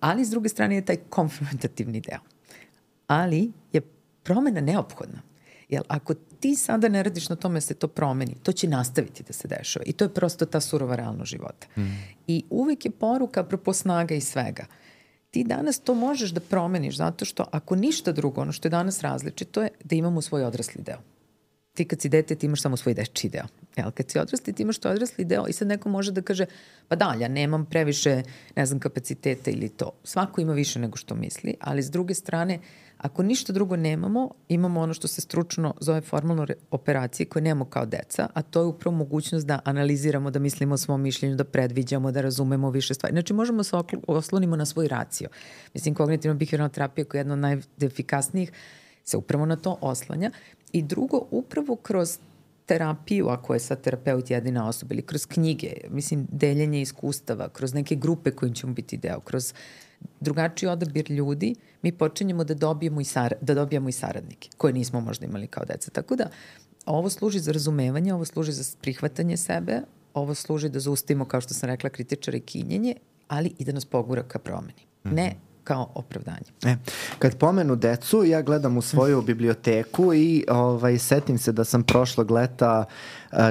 Ali s druge strane je taj konfrontativni deo. Ali je promena neophodna. Jer ako ti sada ne radiš na tome da se to promeni, to će nastaviti da se dešava. I to je prosto ta surova realnost života. I uvek je poruka apropo snaga i svega. Ti danas to možeš da promeniš zato što ako ništa drugo, ono što je danas različito je da imamo svoj odrasli deo. Ti kad si dete, ti imaš samo svoj dečiji deo. Jel, kad si odrasli, ti imaš to odrasli deo i sad neko može da kaže, pa da, ja nemam previše, ne znam, kapaciteta ili to. Svako ima više nego što misli, ali s druge strane, ako ništa drugo nemamo, imamo ono što se stručno zove formalno operacije koje nemamo kao deca, a to je upravo mogućnost da analiziramo, da mislimo o svom mišljenju, da predviđamo, da razumemo više stvari. Znači, možemo se oslonimo na svoj racio. Mislim, kognitivno-behavioralna terapija koja je jedna od najefikasnijih se upravo na to oslanja. I drugo, upravo kroz terapiju, ako je sad terapeut jedina osoba, ili kroz knjige, mislim, deljenje iskustava, kroz neke grupe kojim ćemo biti deo, kroz drugačiji odabir ljudi, mi počinjemo da dobijamo i saradnike, koje nismo možda imali kao deca. Tako da, ovo služi za razumevanje, ovo služi za prihvatanje sebe, ovo služi da zaustavimo, kao što sam rekla, kritičare i kinjenje, ali i da nas pogura ka promeni. Ne kao opravdanje. Kad pomenu decu, ja gledam u svoju biblioteku i setim se da sam prošlog leta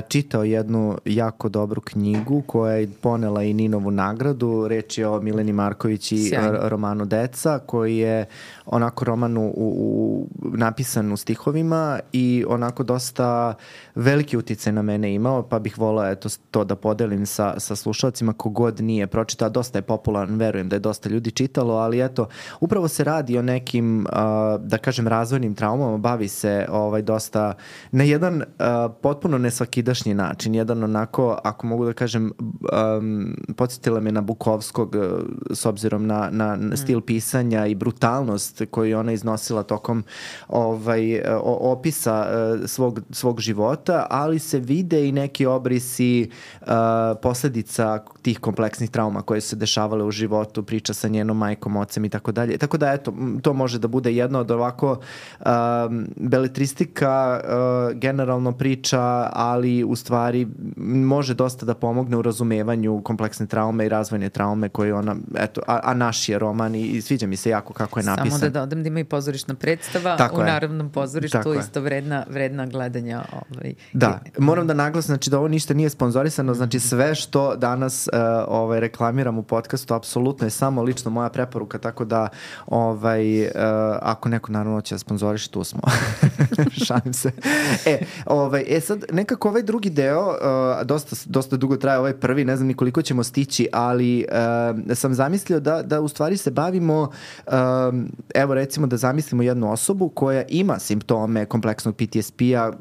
čitao jednu jako dobru knjigu koja je ponela i Ninovu nagradu. Reč je o Mileni Marković i romanu Deca, koji je onako roman napisan u stihovima i onako dosta veliki uticaj na mene imao, pa bih volao to da podelim sa slušalcima kogod nije pročitao. Dosta je popularan, verujem da je dosta ljudi čitalo, ali upravo se radi o nekim, da kažem, razvojnim traumama, bavi se dosta na jedan potpuno nesvakidašnji način, jedan onako, ako mogu da kažem, podsjetila me na Bukovskog s obzirom na stil pisanja i brutalnost koju je ona iznosila tokom opisa svog života, ali se vide i neki obrisi posledica tih kompleksnih trauma koje su se dešavale u životu, priča sa njenom majkom, ocem i tako dalje. Tako da, to može da bude jedno od ovako beletristika, generalno priča, ali u stvari može dosta da pomogne u razumevanju kompleksne traume i razvojne traume koje ona, a naš je roman i sviđa mi se jako kako je napisan. Samo da dodam da ima i pozorišna predstava tako u Narodnom pozorištu, isto vredna gledanja. Da, moram da naglasim, znači da ovo ništa nije sponzorisano, znači sve što danas reklamiram u podcastu apsolutno je samo lično moja preporuka, tako da ako neko naravno će da sponzoriš, tu smo. Šalim se. Sad nekako ovaj drugi deo, dosta dugo traje ovaj prvi, ne znam ni koliko ćemo stići, ali sam zamislio da u stvari se bavimo, evo recimo da zamislimo jednu osobu koja ima simptome kompleksnog PTSP-a,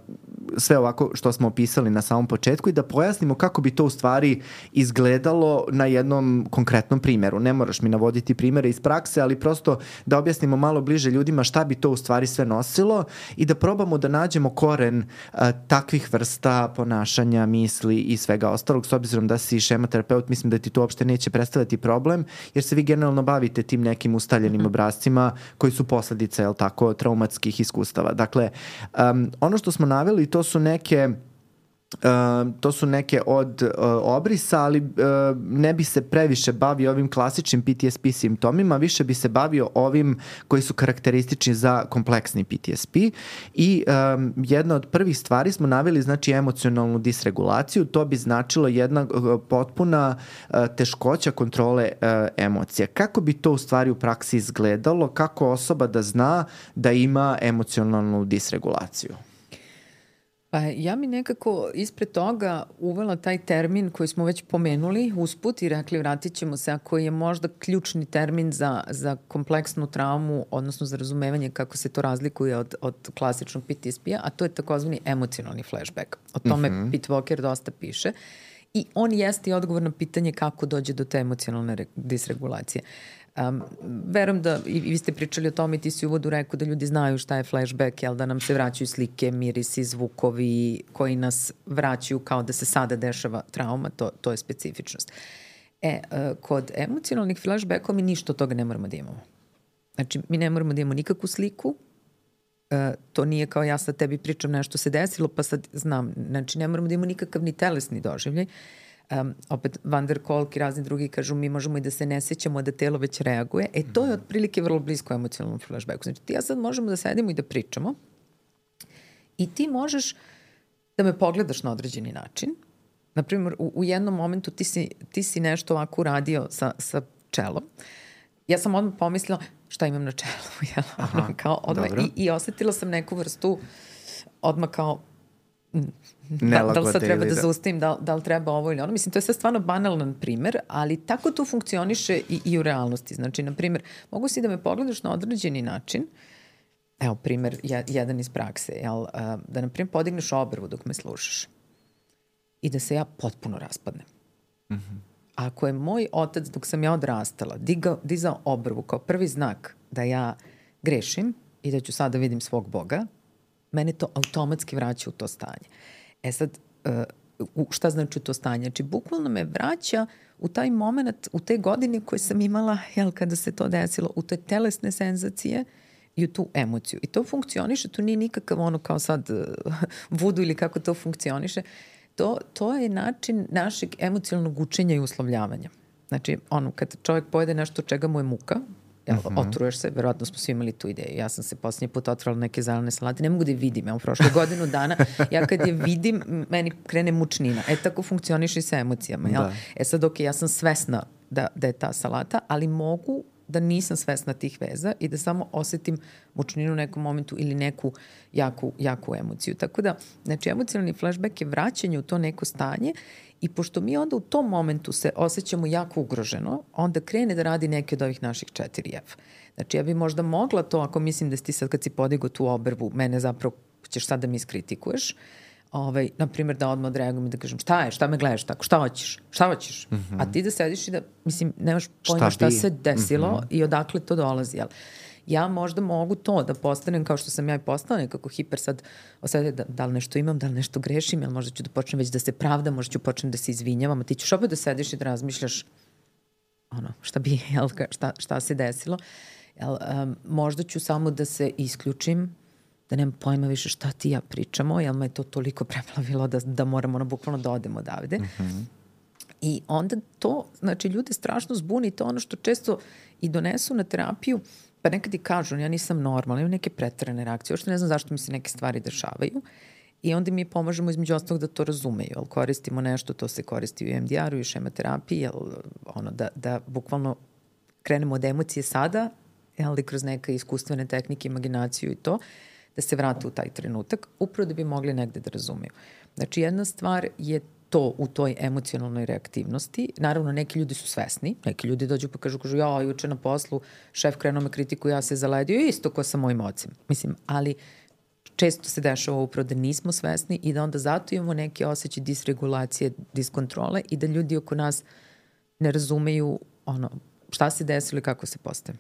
sve ovako što smo opisali na samom početku, i da pojasnimo kako bi to u stvari izgledalo na jednom konkretnom primjeru. Ne moraš mi navoditi primjere iz prakse, ali prosto da objasnimo malo bliže ljudima šta bi to u stvari sve nosilo i da probamo da nađemo koren takvih vrsta ponašanja, misli i svega ostalog. S obzirom da si šemoterapeut, mislim da ti to uopšte neće predstavljati problem, jer se vi generalno bavite tim nekim ustaljenim obrascima koji su posledice, jel tako, traumatskih iskustava. Dakle, ono što smo naveli, to su neke od obrisa, ali ne bi se previše bavio ovim klasičnim PTSP simptomima, više bi se bavio ovim koji su karakteristični za kompleksni PTSP. I jedna od prvih stvari smo naveli, znači emocionalnu disregulaciju. To bi značilo jedna potpuna teškoća kontrole emocija. Kako bi to u stvari u praksi izgledalo? Kako osoba da zna da ima emocionalnu disregulaciju? Pa ja mi nekako ispred toga uvela taj termin koji smo već pomenuli usput i rekli vratit ćemo se, a koji je možda ključni termin za kompleksnu traumu, odnosno za razumevanje kako se to razlikuje od klasičnog PTSP-a, a to je takozvani emocionalni flashback. O tome Pete Walker dosta piše i on jeste i odgovor na pitanje kako dođe do te emocionalne disregulacije. Verujem da i vi ste pričali o tome i ti si u uvodu rekao da ljudi znaju šta je flashback, jel, da nam se vraćaju slike, mirisi, zvukovi koji nas vraćaju kao da se sada dešava trauma, to je specifičnost. Kod emocionalnih flashbackova mi ništa od toga ne moramo da imamo. Znači, mi ne moramo da imamo nikakvu sliku, to nije kao ja sad tebi pričam nešto se desilo pa sad znam, znači ne moramo da imamo nikakav ni telesni doživljaj. Opet Van der Kolk i razni drugi kažu mi možemo i da se ne sećamo da telo već reaguje. To je otprilike vrlo blisko emocionalnom flashbacku. Znači ti ja sad možemo da sedimo i da pričamo i ti možeš da me pogledaš na određeni način. Naprimjer, u jednom momentu ti si nešto ovako uradio sa čelom. Ja sam odmah pomislila šta imam na čelu. Kao odmah, i osetila sam neku vrstu odmah kao da li sad treba da zaustavim, da li treba ovo ili ono. Mislim, to je sad stvarno banalan primer, ali tako to funkcioniše i u realnosti. Znači, na primjer, mogu si da me pogledaš na određeni način, evo primer, jedan iz prakse, da na primjer podigneš obrvu dok me slušaš i da se ja potpuno raspadnem. Ako je moj otac, dok sam ja odrastala, dizao obrvu kao prvi znak da ja grešim i da ću sada vidim svog Boga, mene to automatski vraća u to stanje. Sad, šta znači to stanje? Znači, bukvalno me vraća u taj moment, u te godine koje sam imala, kada se to desilo, u te telesne senzacije i u tu emociju. I to funkcioniše, to nije nikakav ono kao sad vudu ili kako to funkcioniše. To je način našeg emocionalnog učenja i uslovljavanja. Znači, kad čovjek pojede nešto čega mu je muka, otruješ se, verovatno smo svi imali tu ideju. Ja sam se posljednji put otrala neke zelene salate, ne mogu da je vidim, prošle godinu dana, ja kad je vidim, meni krene mučnina. Tako funkcioniš i sa emocijama. Jel? Sad, ja sam svesna da je ta salata, ali mogu da nisam svesna tih veza i da samo osetim mučninu u nekom momentu ili neku jaku emociju. Tako da, znači, emocionalni flashback je vraćanje u to neko stanje i pošto mi onda u tom momentu se osjećamo jako ugroženo, onda krene da radi neke od ovih naših 4F. Znači, ja bi možda mogla to, ako mislim da si ti sad kad si podigao tu obrvu, mene zapravo ćeš sad da mi iskritikuješ, na primjer da odmah odreagujem i da kažem šta me gledaš tako, šta hoćeš? A ti da sediš i da, mislim, nemaš pojma šta se desilo i odakle to dolazi, jel? Ja možda mogu to da postanem kao što sam ja i postala nekako hiper sad osjetiti da li nešto imam, da li nešto grešim, jel možda ću da počnem već da se pravdam, možda ću počnem da se izvinjavam, a ti ćeš opet da sediš i da razmišljaš šta se desilo. Možda ću samo da se isključim, da nemam pojma više šta ti ja pričamo, jer me je to toliko preplavilo da moramo bukvalno da odemo odavde. I onda to, znači, ljude strašno zbuni, to ono što često i donesu na terapiju, pa nekad i kažu, ja nisam normalna, imam neke preterane reakcije, uopšte ne znam zašto mi se neke stvari dešavaju. I onda mi pomažemo između ostalog da to razumeju, jel koristimo nešto, to se koristi u EMDR-u i šematerapiji, jel da bukvalno krenemo od emocije sada, ali kroz neke iskustvene tehnike, imaginaciju i to, da se vrate u taj trenutak, upravo da bi mogli negde da razumeju. Znači, jedna stvar je to u toj emocionalnoj reaktivnosti. Naravno, neki ljudi su svesni, neki ljudi dođu pa kažu, ja juče na poslu, šef krenuo me kritiku, ja se zaledio isto ko sa mojim ocem. Mislim, ali često se dešava upravo da nismo svesni i da onda zato imamo neke osjećaje disregulacije, diskontrole i da ljudi oko nas ne razumeju šta se desilo i kako se postaje.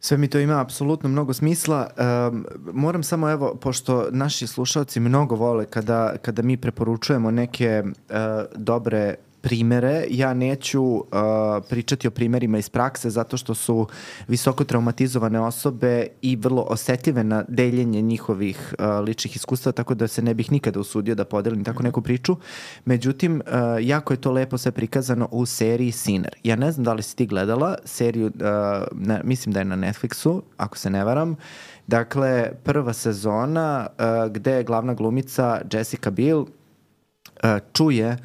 Sve mi to ima apsolutno mnogo smisla. Moram samo, evo, pošto naši slušalci mnogo vole kada mi preporučujemo neke dobre primere, ja neću pričati o primerima iz prakse zato što su visoko traumatizovane osobe i vrlo osetljive na deljenje njihovih ličnih iskustva, tako da se ne bih nikada usudio da podelim tako neku priču. Međutim, jako je to lepo sve prikazano u seriji Sinner. Ja ne znam da li si ti gledala seriju, mislim da je na Netflixu, ako se ne varam. Dakle, prva sezona gde je glavna glumica Jessica Biel čuje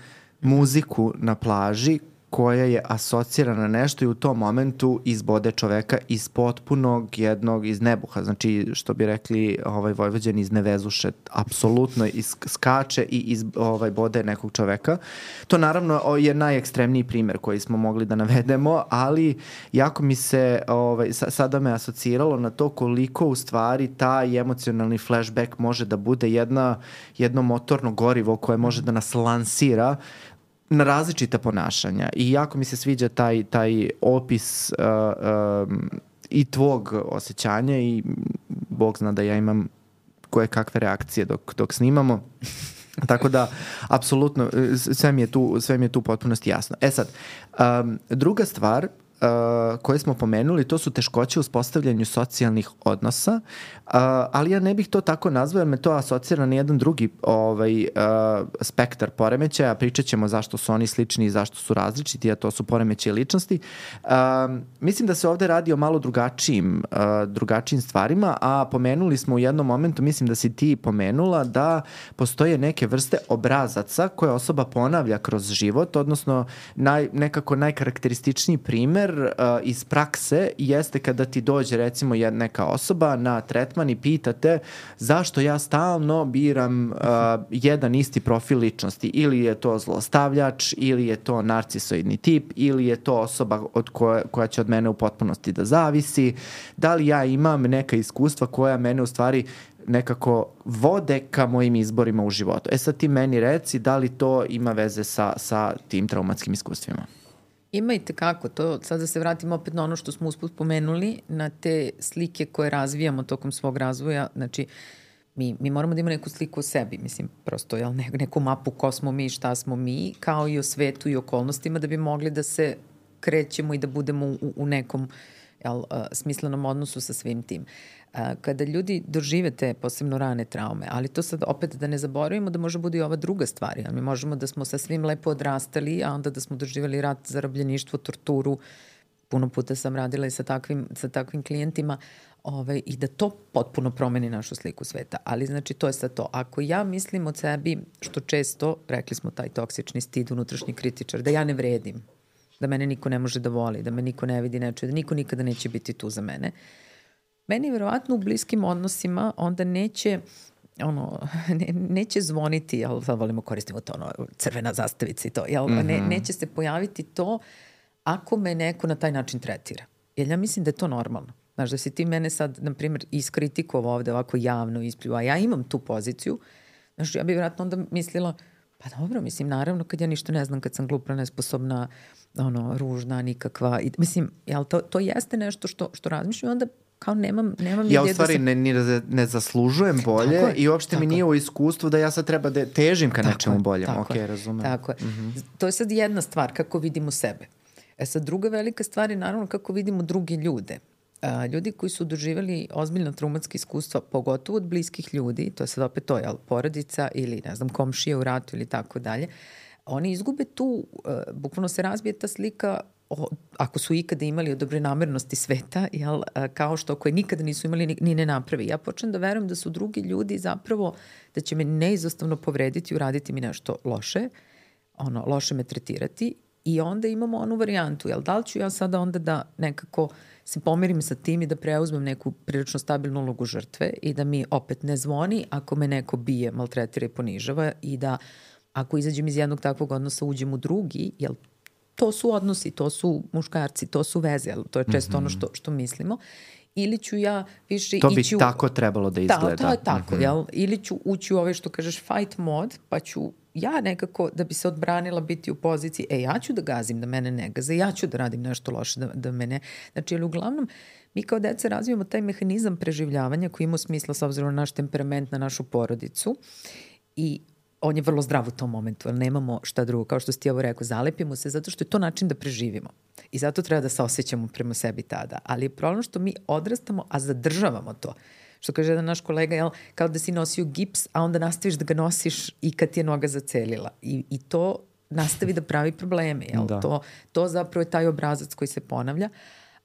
muziku na plaži koja je asocirana na nešto i u tom momentu izbode čoveka iz potpunog jednog, iz nebuha, znači što bi rekli Vojvođani iz nevezuše, apsolutno skače i bode nekog čoveka. To naravno je najekstremniji primer koji smo mogli da navedemo, ali jako mi se sada me asociralo na to koliko u stvari taj emocionalni flashback može da bude jedno motorno gorivo koje može da nas lansira na različita ponašanja i jako mi se sviđa taj opis i tvog osjećanja i Bog zna da ja imam koje kakve reakcije dok snimamo. Tako da, apsolutno, sve mi je tu potpunosti jasno. Sad, druga stvar koje smo pomenuli, to su teškoće u uspostavljanju socijalnih odnosa, ali ja ne bih to tako nazvao jer me to asocira na jedan drugi spektar poremećaja. Pričat ćemo zašto su oni slični i zašto su različiti, a to su poremećaji ličnosti. Mislim da se ovde radi o malo drugačijim stvarima, a pomenuli smo u jednom momentu, mislim da si ti pomenula, da postoje neke vrste obrazaca koje osoba ponavlja kroz život, odnosno nekako najkarakterističniji primer iz prakse jeste kada ti dođe recimo neka osoba na tretman i pitate zašto ja stalno biram jedan isti profil ličnosti, ili je to zlostavljač, ili je to narcisoidni tip, ili je to osoba koja će od mene u potpunosti da zavisi, da li ja imam neka iskustva koja mene u stvari nekako vode ka mojim izborima u životu. Sad ti meni reci da li to ima veze sa tim traumatskim iskustvima. Ima i tekako to, sad da se vratimo opet na ono što smo usput pomenuli, na te slike koje razvijamo tokom svog razvoja, znači mi moramo da imamo neku sliku o sebi, mislim, prosto neku mapu ko smo mi, šta smo mi, kao i o svetu i okolnostima da bi mogli da se krećemo i da budemo u nekom smislenom odnosu sa svim tim. Kada ljudi dožive te posebno rane traume, ali to sad opet da ne zaboravimo da može bude i ova druga stvar, mi možemo da smo sa svim lepo odrastali, a onda da smo doživjeli rat, zarobljeništvo, torturu, puno puta sam radila i sa takvim klijentima, i da to potpuno promeni našu sliku sveta. Ali znači to je sad to. Ako ja mislim od sebi, što često, rekli smo taj toksični stid, unutrašnji kritičar, da ja ne vredim, da mene niko ne može da voli, da me niko ne vidi, ne čuje, da niko nikada neće biti tu za mene. Meni verovatno u bliskim odnosima onda neće zvoniti, jel, sad volimo koristimo to, crvena zastavica i to, jel, neće se pojaviti to ako me neko na taj način tretira. Jer ja mislim da je to normalno. Znaš, da si ti mene sad, na primjer, iskritikovao ovde ovako javno isplju, a ja imam tu poziciju, znaš, ja bih vjerojatno onda mislila, pa dobro, mislim, naravno, kad ja ništa ne znam, kad sam glupa, nesposobna, ružna, nikakva, i, mislim, jel, to jeste nešto što razmišljam, onda kao nemam ja u stvari ne zaslužujem bolje i uopšte mi nije u iskustvu da ja sad treba da težim ka nečemu boljem. Okay, razumem. Tako je. To je sad jedna stvar, kako vidimo sebe. Sad druga velika stvar je naravno kako vidimo druge ljude. Ljudi koji su doživjeli ozbiljno traumatske iskustva, pogotovo od bliskih ljudi, to je sad opet to, jel, porodica ili, ne znam, komšije u ratu ili tako dalje, oni izgube tu, bukvalno se razbije ta slika, ako su ikada imali o dobre namernosti sveta, jel, kao što koje nikada nisu imali ni ne napravi. Ja počnem da verujem da su drugi ljudi zapravo, da će me neizostavno povrediti, uraditi mi nešto loše, loše me tretirati, i onda imamo onu varijantu, jel, da li ću ja sada onda da nekako se pomirim sa tim i da preuzmem neku prilično stabilnu ulogu žrtve i da mi opet ne zvoni ako me neko bije, maltretira i ponižava, i da ako izađem iz jednog takvog odnosa uđem u drugi, jel, to su odnosi, to su muškarci, to su veze, jel, to je često ono što mislimo, ili ću ja više ići... To bi tako trebalo da izgleda. To je tako, jel, ili ću ući u ove što kažeš fight mod, pa ću ja nekako, da bi se odbranila, biti u poziciji, ja ću da gazim, da mene ne gaze, ja ću da radim nešto loše, da mene... Znači, ali uglavnom, mi kao deca razvijamo taj mehanizam preživljavanja koji ima smisla s obzirom na naš temperament, na našu porodicu, i on je vrlo zdrav u tom momentu, ali nemamo šta drugo. Kao što si ti ovo rekao, zalepimo se zato što je to način da preživimo. I zato treba da se osjećamo prema sebi tada. Ali je problem što mi odrastamo, a zadržavamo to. Što kaže jedan naš kolega, jel, kao da si nosio gips, a onda nastaviš da ga nosiš i kad ti je noga zacelila. I to nastavi da pravi probleme. Jel? To zapravo je taj obrazac koji se ponavlja.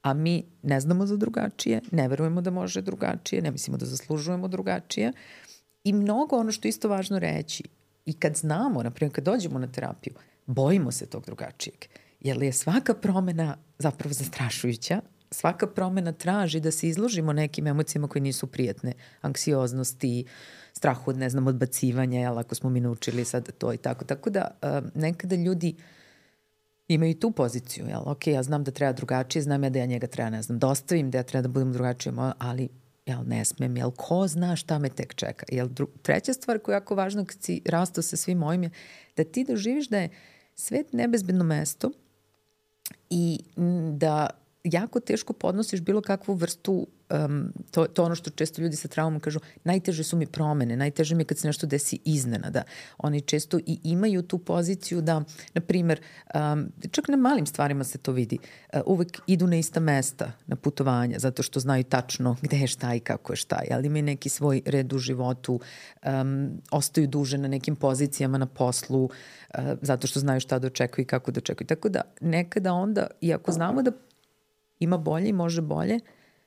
A mi ne znamo za drugačije, ne verujemo da može drugačije, ne mislimo da zaslužujemo drugačije. I mnogo ono što je isto važno reći, i kad znamo, naprimjer kad dođemo na terapiju, bojimo se tog drugačijeg. Jer je svaka promena zapravo zastrašujuća, svaka promena traži da se izložimo nekim emocijama koje nisu prijatne, anksioznosti, strahu od, ne znam, odbacivanja, jel, ako smo mi naučili sad to i tako. Tako da nekada ljudi imaju tu poziciju, jel, ok, ja znam da treba drugačije, znam ja da ja njega treba, ne znam, da ostavim, da ja treba da budem drugačije, ali jel, ne smem, jel, ko zna šta me tek čeka. Jel, treća stvar koja je jako važna kad si rastao sa svim ovim je da ti doživiš da je svet nebezbedno mesto i da jako teško podnosiš bilo kakvu vrstu, to ono što često ljudi sa traumom kažu, najteže su mi promene, najteže mi je kad se nešto desi iznenada. Oni često i imaju tu poziciju da, na primjer, čak na malim stvarima se to vidi, uvek idu na ista mesta, na putovanja, zato što znaju tačno gde je šta i kako je šta, ali imaju neki svoj red u životu, ostaju duže na nekim pozicijama na poslu, zato što znaju šta da očekuju i kako da očekuju. Tako da nekada onda, iako znamo da ima bolje i može bolje,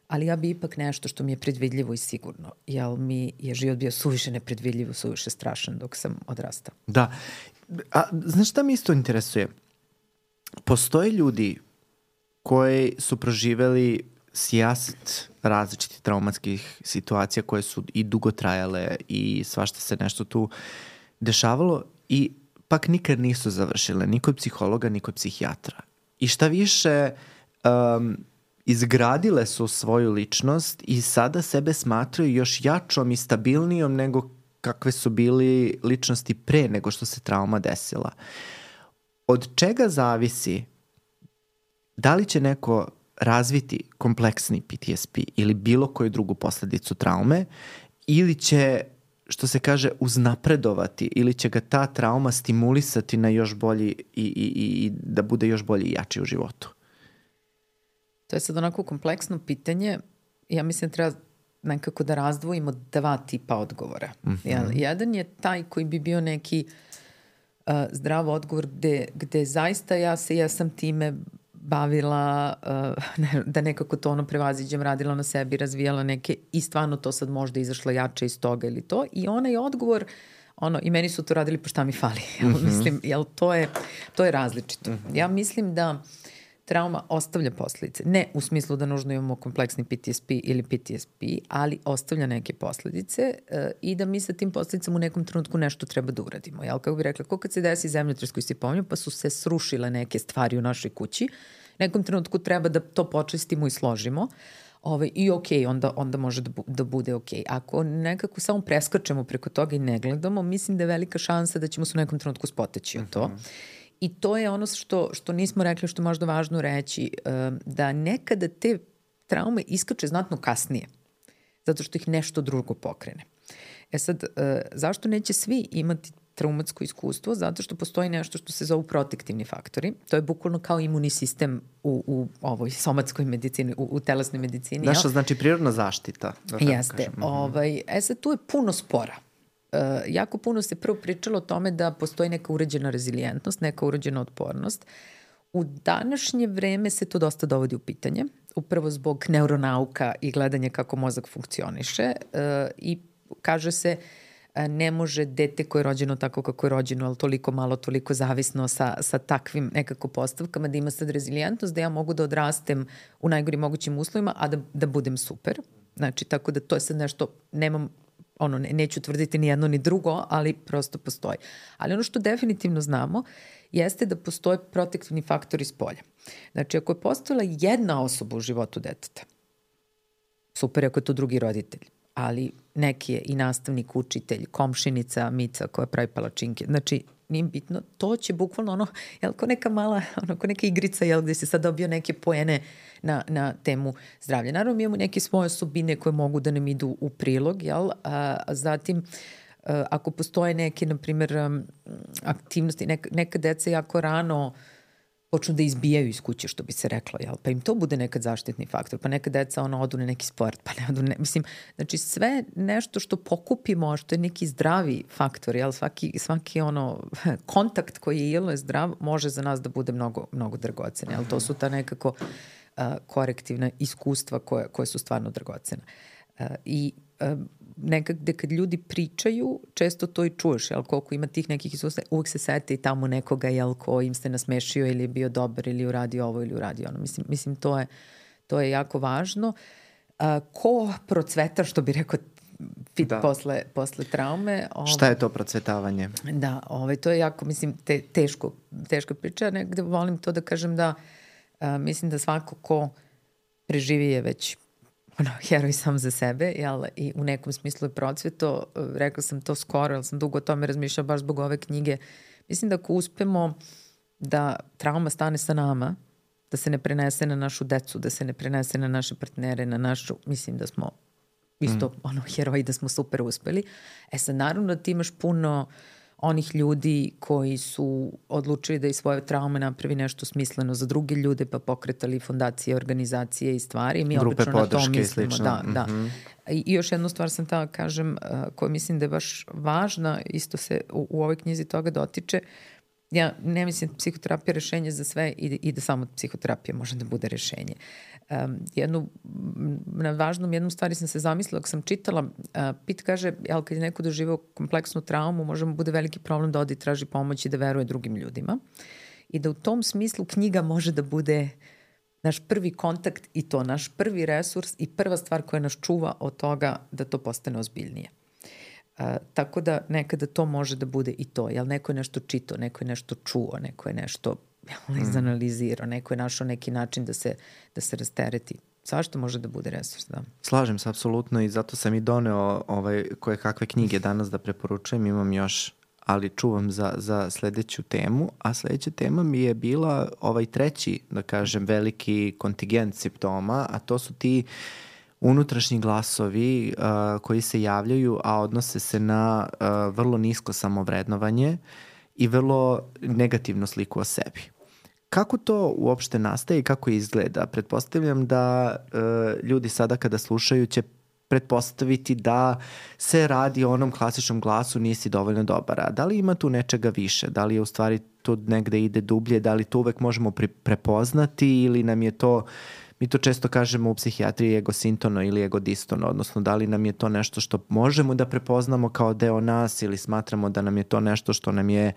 ali ja bi ipak nešto što mi je predvidljivo i sigurno. Jer mi je život bio suviše nepredvidljivo, suviše strašan dok sam odrastao. Da. A znaš šta mi isto interesuje? Postoje ljudi koji su proživeli sijaset različitih traumatskih situacija koje su i dugo trajale i svašta se nešto tu dešavalo i pak nikad nisu završile ni kod psihologa, ni kod psihijatra. I šta više... izgradile su svoju ličnost i sada sebe smatraju još jačom i stabilnijom nego kakve su bili ličnosti pre nego što se trauma desila. Od čega zavisi da li će neko razviti kompleksni PTSP ili bilo koju drugu posledicu traume ili će, što se kaže, uznapredovati ili će ga ta trauma stimulisati na još bolji i da bude još bolji i jači u životu? To je sad onako kompleksno pitanje. Ja mislim da treba nekako da razdvojimo dva tipa odgovora. Jedan je taj koji bi bio neki zdrav odgovor gde zaista ja sam time bavila, da nekako to ono prevaziđem, radila na sebi, razvijala neke i stvarno to sad možda izašla jače iz toga ili to. I onaj odgovor, i meni su to radili pa šta mi fali. Mislim, jel to je različito. Ja mislim da trauma ostavlja posledice. Ne u smislu da nužno imamo kompleksni PTSP ili PTSP, ali ostavlja neke posledice i da mi sa tim posledicama u nekom trenutku nešto treba da uradimo. Jel, kako bih rekla, ko kad se desi zemljotres koji se pominju, pa su se srušile neke stvari u našoj kući, nekom trenutku treba da to počistimo i složimo. I onda može da bude okej. Ako nekako samo preskačemo preko toga i ne gledamo, mislim da je velika šansa da ćemo se u nekom trenutku spoteći od to. I to je ono što nismo rekli, što je možda važno reći, da nekada te traume iskače znatno kasnije, zato što ih nešto drugo pokrene. Sad, zašto neće svi imati traumatsko iskustvo? Zato što postoji nešto što se zovu protektivni faktori. To je bukvalno kao imunni sistem u ovoj somatskoj medicini, u telesnoj medicini. Naša znači prirodna zaštita. Jeste. Sad, tu je puno spora. Jako puno se prvo pričalo o tome da postoji neka uređena rezilijentnost, neka uređena otpornost. U današnje vreme se to dosta dovodi u pitanje, upravo zbog neuronauka i gledanja kako mozak funkcioniše i kaže se ne može dete koje je rođeno tako kako je rođeno, ali toliko malo, toliko zavisno sa takvim nekako postavkama, da ima sad rezilijentnost, da ja mogu da odrastem u najgorim mogućim uslovima, a da budem super. Znači, tako da to je sad nešto, neću tvrditi ni jedno ni drugo, ali prosto postoji. Ali ono što definitivno znamo jeste da postoje protektivni faktori iz polja. Znači, ako je postojala jedna osoba u životu deteta, super ako je to drugi roditelj, ali neki je i nastavnik, učitelj, komšinica, Mica koja pravi palačinke. Znači, nije bitno, to će bukvalno ko neka mala, ko neka igrica, gde se sad dobio neke poene na temu zdravlja. Naravno, mi imamo neke svoje osobine koje mogu da nam idu u prilog, a zatim, ako postoje neke, na primjer, aktivnosti, neka deca jako rano počnu da izbijaju iz kuće, što bi se reklo, pa im to bude nekad zaštitni faktor, pa neka deca odu na neki sport, pa ne odu, mislim, znači sve nešto što pokupimo, što je neki zdravi faktor, svaki kontakt koji je zdrav, može za nas da bude mnogo, mnogo dragocen, to su ta nekako korektivna iskustva koje su stvarno dragocena. I nekada kad ljudi pričaju, često to i čuješ, koliko ima tih nekih iskustva, uvijek se sete i tamo nekoga, ko im se nasmešio ili je bio dobar ili uradio ovo ili uradio ono. Mislim to je jako važno. Ko procveta, što bi rekao, posle traume. Šta je to procvetavanje? Da, to je jako, mislim, teško priča. Negde volim to da kažem da mislim da svako ko preživi je već heroj sam za sebe, i u nekom smislu je procveto. Rekla sam to skoro, jer sam dugo o tome razmišljala baš zbog ove knjige. Mislim da ako uspemo da trauma stane sa nama, da se ne prenese na našu decu, da se ne prenese na naše partnere, na našu, mislim da smo isto heroji, da smo super uspeli. Sad naravno da ti imaš puno onih ljudi koji su odlučili da iz svoje traume napravi nešto smisleno za druge ljude, pa pokretali fondacije, organizacije i stvari. Mi grupe obično na to mislimo. Da. I još jednu stvar sam da kažem, koju mislim da je baš važna, isto se u ovoj knjizi toga dotiče. Ja ne mislim da psihoterapija je rešenje za sve i da samo psihoterapija može da bude rešenje. Na važnom jednom stvari sam se zamislila, ako sam čitala, Pit kaže, kad je neko doživao kompleksnu traumu, može mu bude veliki problem da odi i traži pomoć i da veruje drugim ljudima. I da u tom smislu knjiga može da bude naš prvi kontakt i to naš prvi resurs i prva stvar koja nas čuva od toga da to postane ozbiljnije. Tako da nekada to može da bude i to. Neko je nešto čitao, neko je nešto čuo, neko je nešto izanalizirao, neko je našao neki način da se rastereti. Svašta može da bude resurs, da. Slažem se, apsolutno, i zato sam i doneo koje kakve knjige danas da preporučujem. Imam još, ali čuvam za sledeću temu, a sledeća tema mi je bila treći, da kažem, veliki kontingent simptoma, a to su ti unutrašnji glasovi koji se javljaju, a odnose se na vrlo nisko samovrednovanje i vrlo negativnu sliku o sebi. Kako to uopšte nastaje i kako izgleda? Pretpostavljam da ljudi sada kada slušaju će pretpostaviti da se radi o onom klasičnom glasu nisi dovoljno dobar. A da li ima tu nečega više? Da li je u stvari tu negde ide dublje? Da li to uvek možemo prepoznati ili nam je to, mi to često kažemo u psihijatriji, egosintono ili egodistono, odnosno da li nam je to nešto što možemo da prepoznamo kao deo nas ili smatramo da nam je to nešto što nam je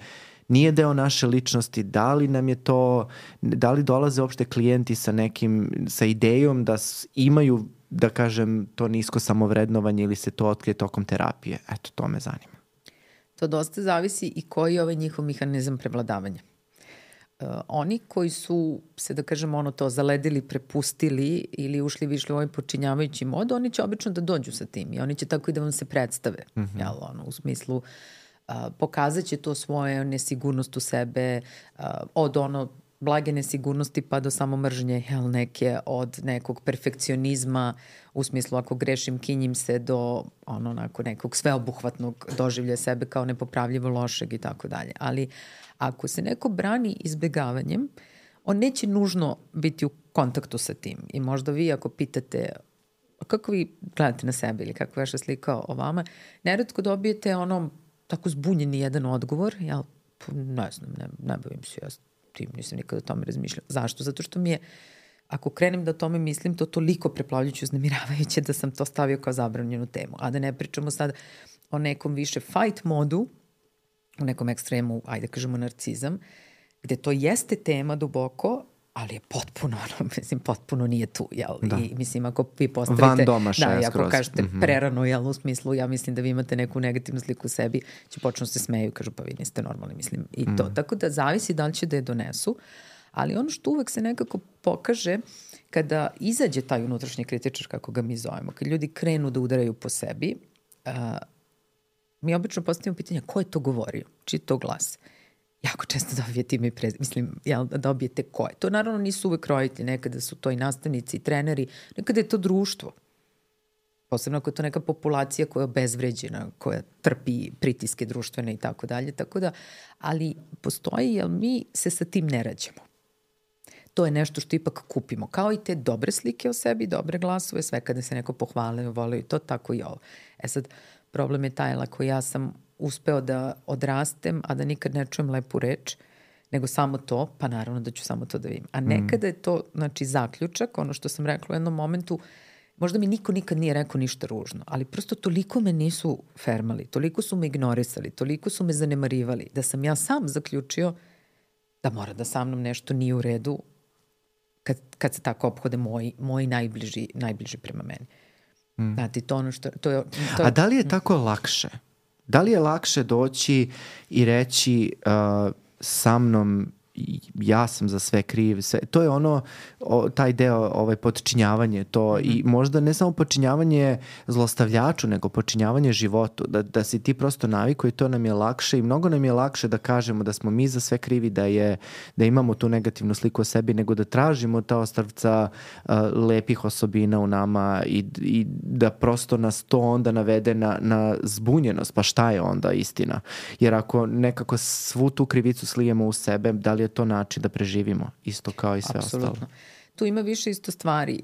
nije deo naše ličnosti, da li nam je to, da li dolaze uopšte klijenti sa idejom da imaju, da kažem, to nisko samovrednovanje ili se to otkrije tokom terapije. Eto, to me zanima. To dosta zavisi i koji je ovaj njihov mehanizam prevladavanja. Oni koji su se, da kažem, to zaledili, prepustili ili ušli u ovaj počinjavajući mod, oni će obično da dođu sa tim i oni će tako i da vam se predstave. Jel, u smislu pokazat će to svoje nesigurnost u sebe, od blage nesigurnosti pa do samo mržnje, neke od nekog perfekcionizma, u smislu ako grešim kinjim se do nekog sveobuhvatnog doživlja sebe kao nepopravljivo lošeg i tako dalje. Ali ako se neko brani izbegavanjem, on neće nužno biti u kontaktu sa tim. I možda vi ako pitate kako vi gledate na sebe ili kako je vaša slika o vama, neretko dobijete tako zbunjeni jedan odgovor, ja ne znam, ne bavim se ja tim, nisam nikada o tome razmišljala. Zašto? Zato što mi je, ako krenem da o tome mislim, to toliko preplavljujuće, uznemiravajuće da sam to stavio kao zabranjenu temu. A da ne pričamo sad o nekom više fight modu, u nekom ekstremu, ajde kažemo narcizam, gde to jeste tema duboko, ali je potpuno, potpuno nije tu, jel? Da. I mislim, ako vi postavite... Van domašaja skroz. Ako kažete prerano, jel, u smislu, ja mislim da vi imate neku negativnu sliku u sebi, će počnu se smeju, kažu, pa vi niste normalni, mislim, i to. Tako da zavisi da li će da je donesu, ali ono što uvek se nekako pokaže kada izađe taj unutrašnji kritičar, kako ga mi zovemo, kad ljudi krenu da udaraju po sebi, mi obično postavimo pitanje ko je to govorio, čiji je to glas. Jako često dobijete ime i mislim, da dobijete ko je. To naravno nisu uvek roditelji, nekada su to i nastavnici i treneri, nekada je to društvo. Posebno ako je to neka populacija koja je obezvređena, koja trpi pritiske društvene i tako dalje. Tako da, ali postoji, jer mi se sa tim ne rađamo. To je nešto što ipak kupimo. Kao i te dobre slike o sebi, dobre glasove, sve kada se neko pohvale, vole i to, tako i ovo. Sad, problem je taj, ako ja sam uspeo da odrastem, a da nikad ne čujem lepu reč, nego samo to, pa naravno da ću samo to da vidim. A nekada je to, znači, zaključak, ono što sam rekla u jednom momentu, možda mi niko nikad nije rekao ništa ružno, ali prosto toliko me nisu fermali, toliko su me ignorisali, toliko su me zanemarivali, da sam ja sam zaključio da mora da sa mnom nešto nije u redu kad se tako ophode moji najbliži prema meni. Znate, to ono što... A da li je tako lakše? Da li je lakše doći i reći sa mnom ja sam za sve kriv, sve. To je taj deo, podčinjavanje, to i možda ne samo podčinjavanje zlostavljaču, nego podčinjavanje životu, da si ti prosto navikao i to nam je lakše i mnogo nam je lakše da kažemo da smo mi za sve krivi, da imamo tu negativnu sliku o sebi, nego da tražimo ta ostavca lepih osobina u nama i da prosto nas to onda navede na zbunjenost, pa šta je onda istina? Jer ako nekako svu tu krivicu slijemo u sebe, da li je to način da preživimo, isto kao i sve Apsolutno. ostalo? Tu ima više isto stvari.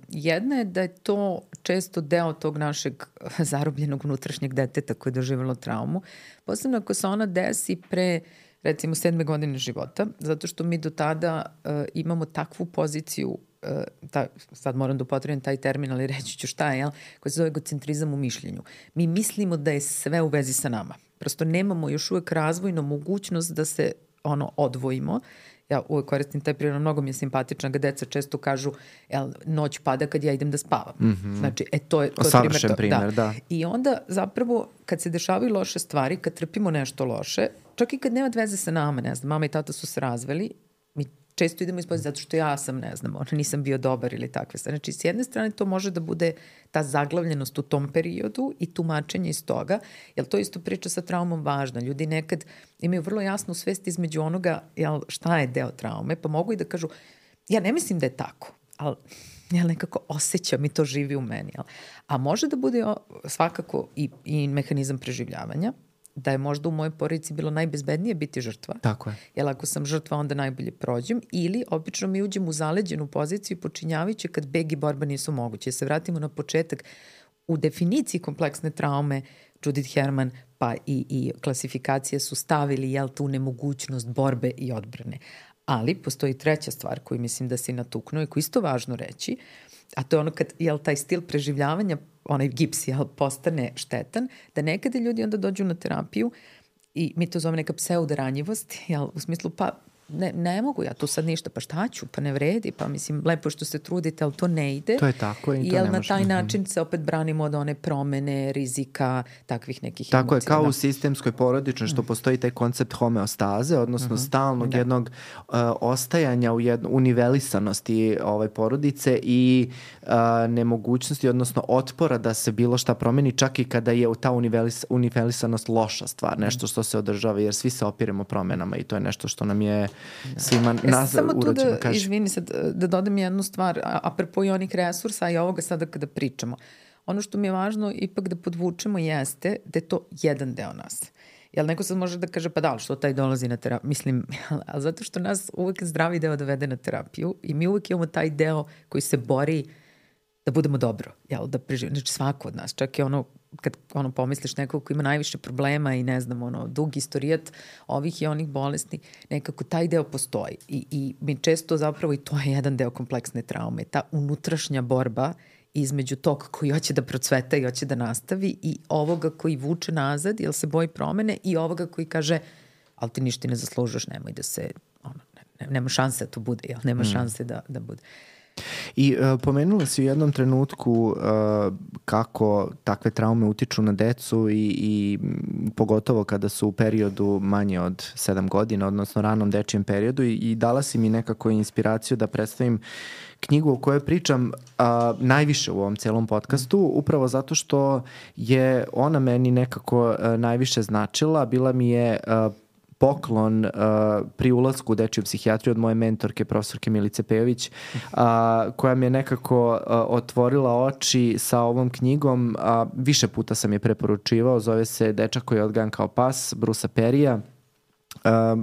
Jedna je da je to često deo tog našeg zarobljenog unutrašnjeg deteta koje je doživjelo traumu, posebno ako se ona desi pre, recimo, 7. godine života, zato što mi do tada imamo takvu poziciju, sad moram da upotrebim taj termin, ali reći ću šta je, koji se zove egocentrizam u mišljenju. Mi mislimo da je sve u vezi sa nama. Prosto nemamo još uvek razvojnu mogućnost da se odvojimo. Ja uvek koristim taj primjer, mnogo mi je simpatična, ga deca često kažu, noć pada kad ja idem da spavam. Znači, to je savršen primjer, da. I onda zapravo kad se dešavaju loše stvari, kad trpimo nešto loše, čak i kad nema veze sa nama, ne znam, mama i tata su se razveli, mi često idemo ispod zato što ja sam, ne znam, nisam bio dobar ili takve stvari. Znači, s jedne strane to može da bude ta zaglavljenost u tom periodu i tumačenje iz toga, jer to isto priča sa traumom važna. Ljudi nekad imaju vrlo jasnu svest između onoga šta je deo traume, pa mogu i da kažu, ja ne mislim da je tako, ali ja nekako osjećam i to živi u meni. A može da bude svakako i mehanizam preživljavanja, da je možda u mojoj porodici bilo najbezbednije biti žrtva. Tako je. Jer ako sam žrtva, onda najbolje prođem. Ili obično mi uđem u zaleđenu poziciju počinjavajući kad beg i borba nisu moguće. Se vratimo na početak. u definiciji kompleksne traume Judith Herman pa i klasifikacije su stavili tu nemogućnost borbe i odbrane. Ali postoji treća stvar koju mislim da si natuknuo i koju isto važno reći, a to je ono kad taj stil preživljavanja, onaj gips postane štetan, da nekada ljudi onda dođu na terapiju i mi to zovemo neka pseudoranjivost, u smislu pa ne mogu ja tu sad ništa, pa šta ću, pa ne vredi, pa mislim lepo što se trudite, ali to ne ide. To je tako i to ne može. Na taj način se opet branimo od one promene, rizika, takvih nekih emocija. Tako je, kao u sistemskoj porodičnoj što postoji taj koncept homeostaze, odnosno stalnog jednog ostajanja u univelisanosti porodice i nemogućnosti, odnosno otpora da se bilo šta promeni, čak i kada je ta univelisanost loša stvar, nešto što se održava, jer svi se opiremo promenama i to je nešto što nam je svima nas urođeno. Samo tu izvini sad, da dodam jednu stvar, apropo i onih resursa i ovoga sada kada pričamo. Ono što mi je važno ipak da podvučemo jeste da je to jedan deo nas. Jel neko sad može da kaže, pa da li što taj dolazi na terapiju? Mislim, ali zato što nas uvek zdravi deo dovede na terapiju i mi uvek imamo taj deo koji se bori da budemo dobro, da preživimo. Znači svako od nas, čak i kad pomisliš nekog ko ima najviše problema i ne znam, dug istorijat ovih i onih bolesti, nekako taj deo postoji. I mi često zapravo, i to je jedan deo kompleksne traume, ta unutrašnja borba između tog koji hoće da procveta i hoće da nastavi i ovoga koji vuče nazad, jer se boji promene, i ovoga koji kaže, ali ti ništa ne zaslužuješ, nemoj da se, nema šanse da to bude, nema šanse da bude. I pomenula si u jednom trenutku kako takve traume utiču na decu i pogotovo kada su u periodu manje od 7 godina, odnosno ranom dečijem periodu, i dala si mi nekako inspiraciju da predstavim knjigu o kojoj pričam najviše u ovom celom podcastu, upravo zato što je ona meni nekako najviše značila. Bila mi je poklon pri ulasku u dečiju psihijatriju od moje mentorke, profesorke Milice Pejović, koja mi je nekako otvorila oči sa ovom knjigom. Više puta sam je preporučivao, zove se Dečak koji je odgajan kao pas, Brusa Perija,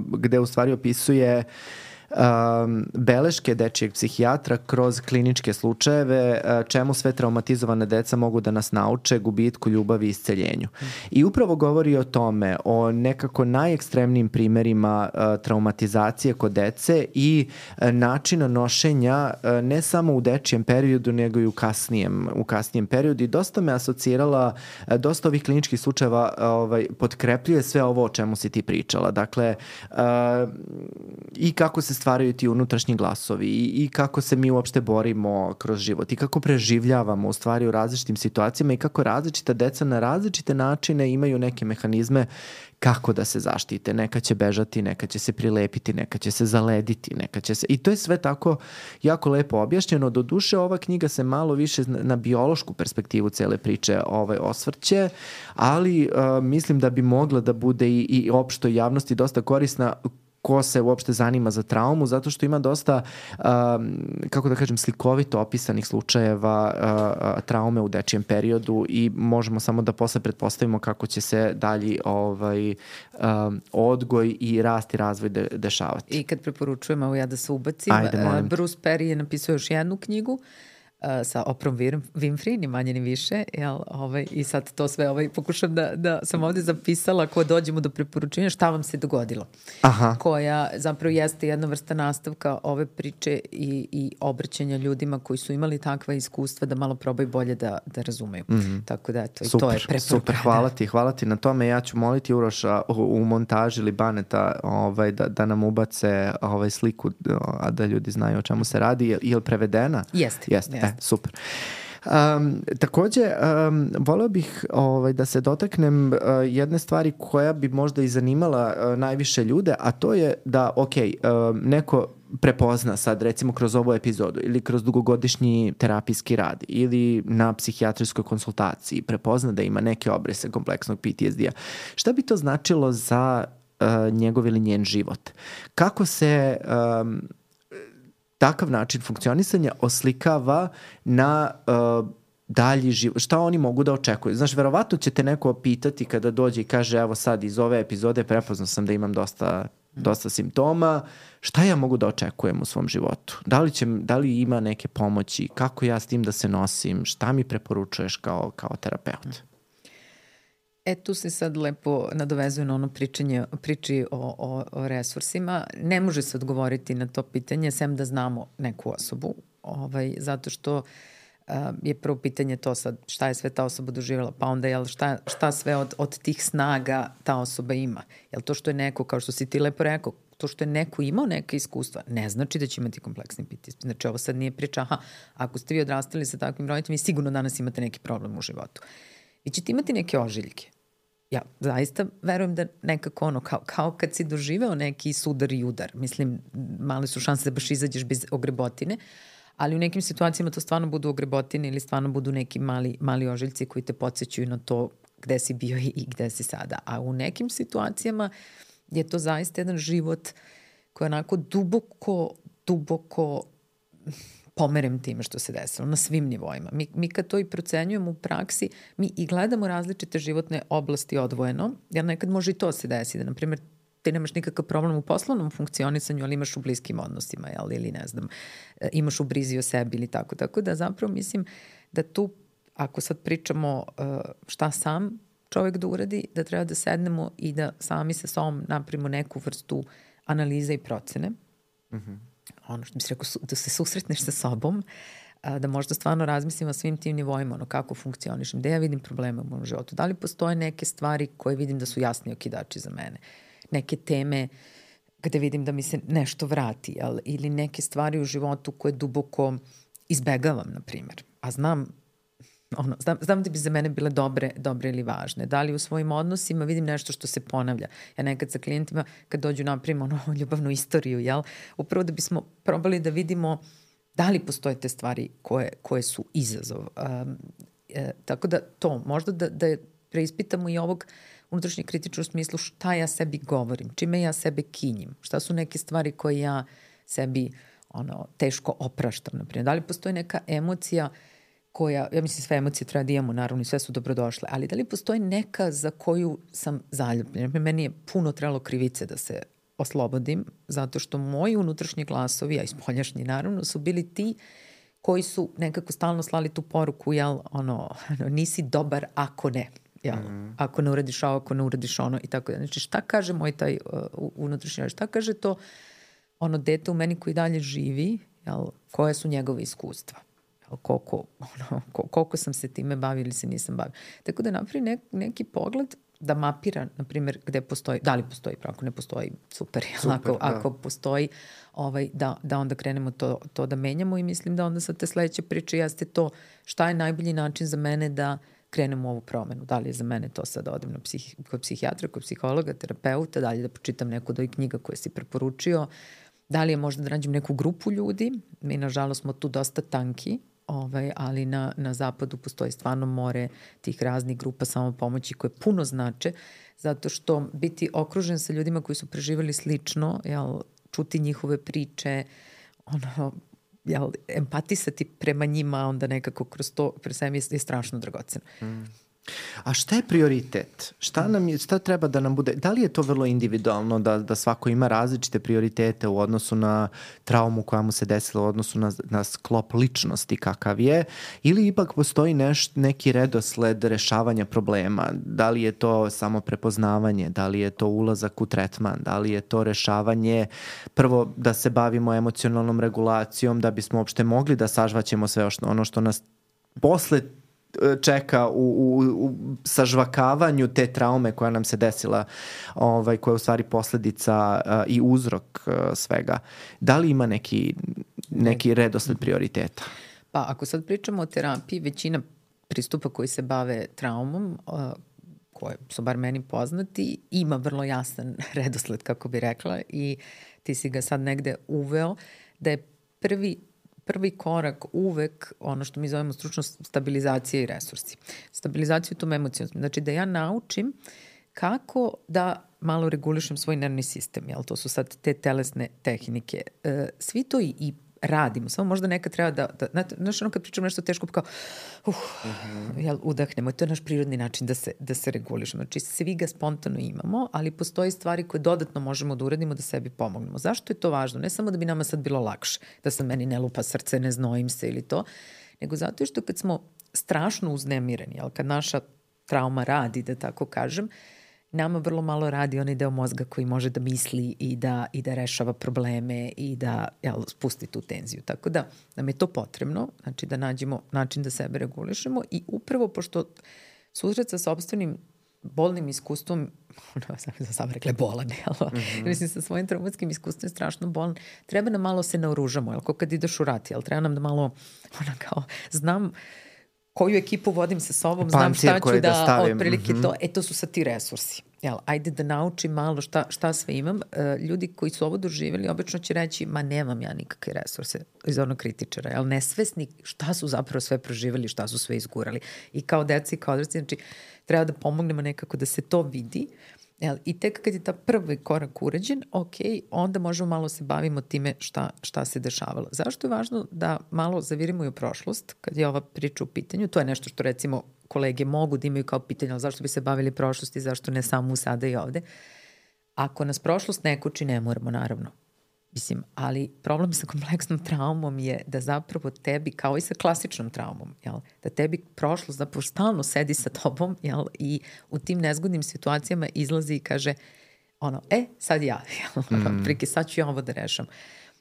gde u stvari opisuje beleške dečijeg psihijatra kroz kliničke slučajeve, čemu sve traumatizovane deca mogu da nas nauče, gubitku, ljubavi i isceljenju. I upravo govori o tome, o nekako najekstremnijim primerima traumatizacije kod dece i načina nošenja ne samo u dečijem periodu, nego i u kasnijem periodu. I dosta me asocirala, dosta ovih kliničkih slučajeva potkrepljuje sve ovo o čemu si ti pričala. Dakle, i kako se stvaraju ti unutrašnji glasovi i kako se mi uopšte borimo kroz život i kako preživljavamo u stvari u različitim situacijama i kako različita deca na različite načine imaju neke mehanizme kako da se zaštite. Neka će bežati, neka će se prilepiti, neka će se zalediti, neka će se... I to je sve tako jako lepo objašnjeno. Doduše, ova knjiga se malo više na biološku perspektivu cele priče osvrće, ali mislim da bi mogla da bude i opštoj javnosti dosta korisna ko se uopšte zanima za traumu, zato što ima dosta, kako da kažem, slikovito opisanih slučajeva traume u dečijem periodu i možemo samo da posle pretpostavimo kako će se dalji odgoj i rast i razvoj dešavati. I kad preporučujem, evo ja da se ubacim, Bruce Perry je napisao još jednu knjigu sa Oprah Winfrey, ni manje ni više, i sad to sve pokušam da sam ovdje zapisala ko dođemo do preporučenja šta vam se dogodilo. Aha. Koja zapravo jeste jedna vrsta nastavka ove priče i obraćanja ljudima koji su imali takva iskustva da malo probaju bolje da razumeju. Tako da eto, super, i to je preporuka. Super, hvala ti na tome. Ja ću moliti Uroša u montaži ili Baneta da nam ubace sliku, a da ljudi znaju o čemu se radi. Je li prevedena? Jeste. Super. Takođe, voleo bih da se dotaknem jedne stvari koja bi možda i zanimala najviše ljude, a to je da, neko prepozna sad recimo kroz ovu epizodu ili kroz dugogodišnji terapijski rad ili na psihijatrijskoj konsultaciji prepozna da ima neke obrise kompleksnog PTSD-a. Šta bi to značilo za njegov ili njen život? Kako se takav način funkcionisanja oslikava na dalji život? Šta oni mogu da očekuju? Znaš, verovatno će te neko pitati kada dođe i kaže, evo sad iz ove epizode prepoznao sam da imam dosta dosta simptoma, šta ja mogu da očekujem u svom životu? Da li ima neke pomoći? Kako ja s tim da se nosim? Šta mi preporučuješ kao terapeut? Tu se sad lepo nadovezuje na ono priči o resursima. Ne može se odgovoriti na to pitanje sem da znamo neku osobu, zato što je prvo pitanje to sad šta je sve ta osoba doživjela, pa onda šta sve od tih snaga ta osoba ima. Jel to što je neko, kao što si ti lepo rekao, to što je neko imao neke iskustva, ne znači da će imati kompleksni PTSD. Znači ovo sad nije priča, ako ste vi odrastali sa takvim roditeljima, vi sigurno danas imate neki problem u životu. Vi ćete imati neke ožiljke. Ja zaista verujem da nekako kao kad si doživeo neki sudar i udar. Mislim, male su šanse da baš izađeš bez ogrebotine, ali u nekim situacijama to stvarno budu ogrebotine ili stvarno budu neki mali ožiljci koji te podsjećaju na to gde si bio i gde si sada. A u nekim situacijama je to zaista jedan život koji je onako duboko pomerem time što se desilo na svim nivoima. Mi kad to i procenjujemo u praksi, mi i gledamo različite životne oblasti odvojeno, jer nekad može i to se desi, da na primjer ti nemaš nikakav problem u poslovnom funkcionisanju, ali imaš u bliskim odnosima, ili ne znam, imaš u brizi o sebi ili tako. Tako da zapravo mislim da tu, ako sad pričamo šta sam čovjek da uradi, da treba da sednemo i da sami sa sobom napravimo neku vrstu analize i procene. Ono što bi se rekao, da se susretneš sa sobom, da možda stvarno razmislim o svim tim nivoima, kako funkcionišem, gde ja vidim probleme u mojom životu, da li postoje neke stvari koje vidim da su jasni okidači za mene, neke teme gde vidim da mi se nešto vrati, ili neke stvari u životu koje duboko izbegavam, na primjer, a znam da bi za mene bile dobre ili važne. Da li u svojim odnosima vidim nešto što se ponavlja. Ja nekad sa klijentima kad dođu napravimo ljubavnu istoriju, upravo da bismo probali da vidimo da li postoje te stvari koje su izazov. Tako da to, možda da preispitamo i ovog unutrašnjeg kritičnog smislu šta ja sebi govorim, čime ja sebe kinjim, šta su neke stvari koje ja sebi teško opraštam, naprimjer. Da li postoji neka emocija koja, ja mislim sve emocije treba da imamo, naravno i sve su dobrodošle, ali da li postoji neka za koju sam zaljubljena? Meni je puno trebalo krivice da se oslobodim, zato što moji unutrašnji glasovi, a i spoljašnji naravno, su bili ti koji su nekako stalno slali tu poruku, nisi dobar ako ne. Ako ne uradiš ovo, ako ne uradiš ono i tako da. Znači šta kaže moj taj unutrašnji, šta kaže to dete u meni koji dalje živi, koje su njegove iskustva? Koliko sam se time bavio ili se nisam bavio. Tako da napravi neki pogled da mapira, na primjer, gde postoji, da li postoji, ako ne postoji, super. Ako postoji, da onda krenemo to da menjamo i mislim da onda sa te sledeće priče jeste to šta je najbolji način za mene da krenem u ovu promenu. Da li je za mene to sad da odem kod psihijatra, kod psihologa, terapeuta, da li da pročitam neku od ovih knjiga koje si preporučio, da li je možda da nađem neku grupu ljudi. Mi, nažalost, smo tu dosta tanki, ali na zapadu postoji stvarno more tih raznih grupa samopomoći koje puno znače, zato što biti okružen sa ljudima koji su preživali slično, čuti njihove priče, empatisati prema njima, onda nekako kroz to pre sveme je strašno dragoceno. A šta je prioritet? Šta treba da nam bude? Da li je to vrlo individualno da svako ima različite prioritete u odnosu na traumu koja mu se desila, u odnosu na sklop ličnosti kakav je, ili ipak postoji neki redosled rešavanja problema? Da li je to samo prepoznavanje? Da li je to ulazak u tretman? Da li je to rešavanje prvo da se bavimo emocionalnom regulacijom da bismo uopšte mogli da sažvaćemo sve ono što nas posle čeka u sažvakavanju te traume koja nam se desila, koja je u stvari posledica i uzrok svega. Da li ima neki redosled prioriteta? Pa ako sad pričamo o terapiji, većina pristupa koji se bave traumom, koje su bar meni poznati, ima vrlo jasan redosled, kako bi rekla, i ti si ga sad negde uveo, da je prvi korak uvek ono što mi zovemo stručno stabilizacija i resursi. Stabilizaciju tom emocijom. Znači da ja naučim kako da malo regulišem svoj nervni sistem. To su sad te telesne tehnike. Svi to i radimo. Samo možda nekad treba znaš, ono kad pričamo nešto teško, kao jel, udahnemo. To je naš prirodni način da se regulišemo. Znači, svi ga spontano imamo, ali postoji stvari koje dodatno možemo da uradimo da sebi pomognemo. Zašto je to važno? Ne samo da bi nama sad bilo lakše, da sad meni ne lupa srce, ne znojim se ili to, nego zato što kad smo strašno uznemireni, jel, kad naša trauma radi, da tako kažem, nama vrlo malo radi onaj deo mozga koji može da misli i da rešava probleme i da spusti tu tenziju. Tako da nam je to potrebno, znači da nađemo način da sebe regulišemo i upravo pošto susret sa sopstvenim bolnim iskustvom, sam rekla bolan, mislim sa svojim traumatskim iskustvom je strašno bolan, treba nam malo se naoružamo, jel, kao kad ideš u rat, jel, treba nam da malo, kao, znam koju ekipu vodim sa sobom, znam šta ću da otprilike to su sad ti resursi. Jel, ajde da naučim malo šta sve imam. Ljudi koji su ovo doživjeli obično će reći, ma nemam ja nikakve resurse iz onog kritičara, jel, nesvesni šta su zapravo sve proživjeli, šta su sve izgurali. I kao deca i kao odrasli, znači treba da pomognemo nekako da se to vidi. Jel, i tek kad je ta prvi korak urađen, onda možemo malo se bavimo time šta se dešavalo. Zašto je važno da malo zavirimo i u prošlost, kad je ova priča u pitanju? To je nešto što recimo kolege mogu da imaju kao pitanje, ali zašto bi se bavili prošlosti, zašto ne samo sada i ovde? Ako nas prošlost ne koči, ne moramo, naravno. Mislim, ali problem sa kompleksnom traumom je da zapravo tebi, kao i sa klasičnom traumom, jel, da tebi prošlost zapravo stalno sedi sa tobom, jel, i u tim nezgodnim situacijama izlazi i kaže sad ja, prike, sad ću ja ovo da rešam.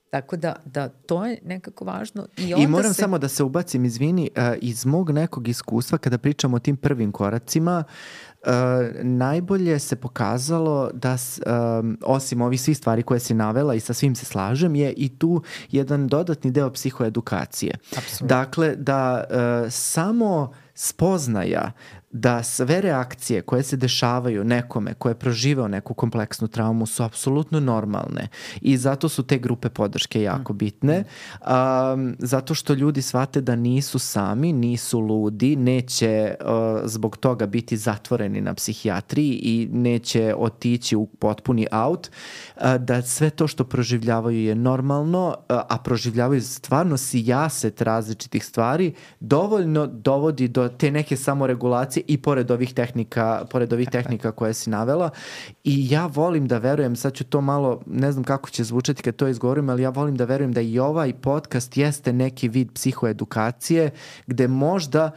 Tako da to je nekako važno. I moram samo da se ubacim, izvini, iz mog nekog iskustva kada pričamo o tim prvim koracima, najbolje se pokazalo da osim ovih svih stvari koje si navela i sa svim se slažem, je i tu jedan dodatni deo psihoedukacije. Absolutno. Dakle, da samo spoznaja da sve reakcije koje se dešavaju nekome ko je proživeo neku kompleksnu traumu su apsolutno normalne i zato su te grupe podrške jako bitne, zato što ljudi shvate da nisu sami, nisu ludi, neće zbog toga biti zatvoreni na psihijatriji i neće otići u potpuni out, da sve to što proživljavaju je normalno, a proživljavaju stvarno sijaset različitih stvari, dovoljno dovodi do te neke samoregulacije i pored ovih tehnika koje si navela. I ja volim da verujem, sad ću to malo, ne znam kako će zvučati kad to izgovorim, ali ja volim da verujem da i ovaj podcast jeste neki vid psihoedukacije gde možda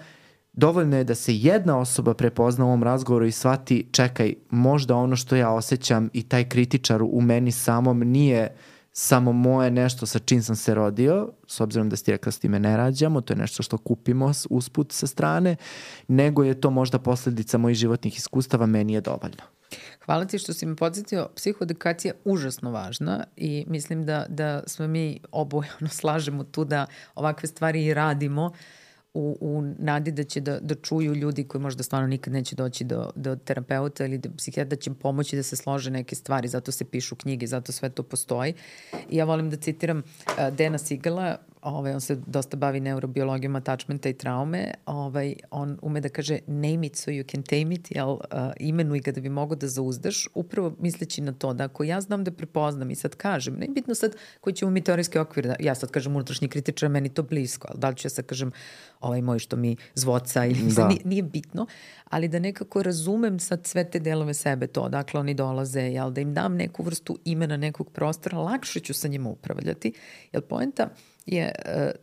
dovoljno je da se jedna osoba prepozna u ovom razgovoru i shvati, čekaj, možda ono što ja osjećam i taj kritičar u meni samom nije samo moje nešto sa čim sam se rodio, s obzirom da ste rekla s time ne rađamo, to je nešto što kupimo usput sa strane, nego je to možda posljedica mojih životnih iskustava, meni je dovoljno. Hvala ti što si me podsjetio, psihoedukacija je užasno važna i mislim da smo mi oboje slažemo tu da ovakve stvari i radimo u nadi da će da čuju ljudi koji možda stvarno nikad neće doći do terapeuta ili do psihijatra, da će im pomoći da se slože neke stvari, zato se pišu knjige, zato sve to postoji. I ja volim da citiram Dana Sigela, on se dosta bavi neurobiologijom attachmenta i traume, on ume da kaže name it so you can tame it, imenuj ga da bi mogo da zauzdaš, upravo misleći na to da ako ja znam da prepoznam i sad kažem, ne bitno sad koji ćemo mi teorijski okvir, da ja sad kažem unutrašnji kritičar, meni to blisko, ali da li ću ja sad kažem moj što mi zvoca ili nije bitno, ali da nekako razumem sad sve te delove sebe, to odakle oni dolaze, da im dam neku vrstu imena nekog prostora, lakše ću sa njima upravljati, jer poenta je,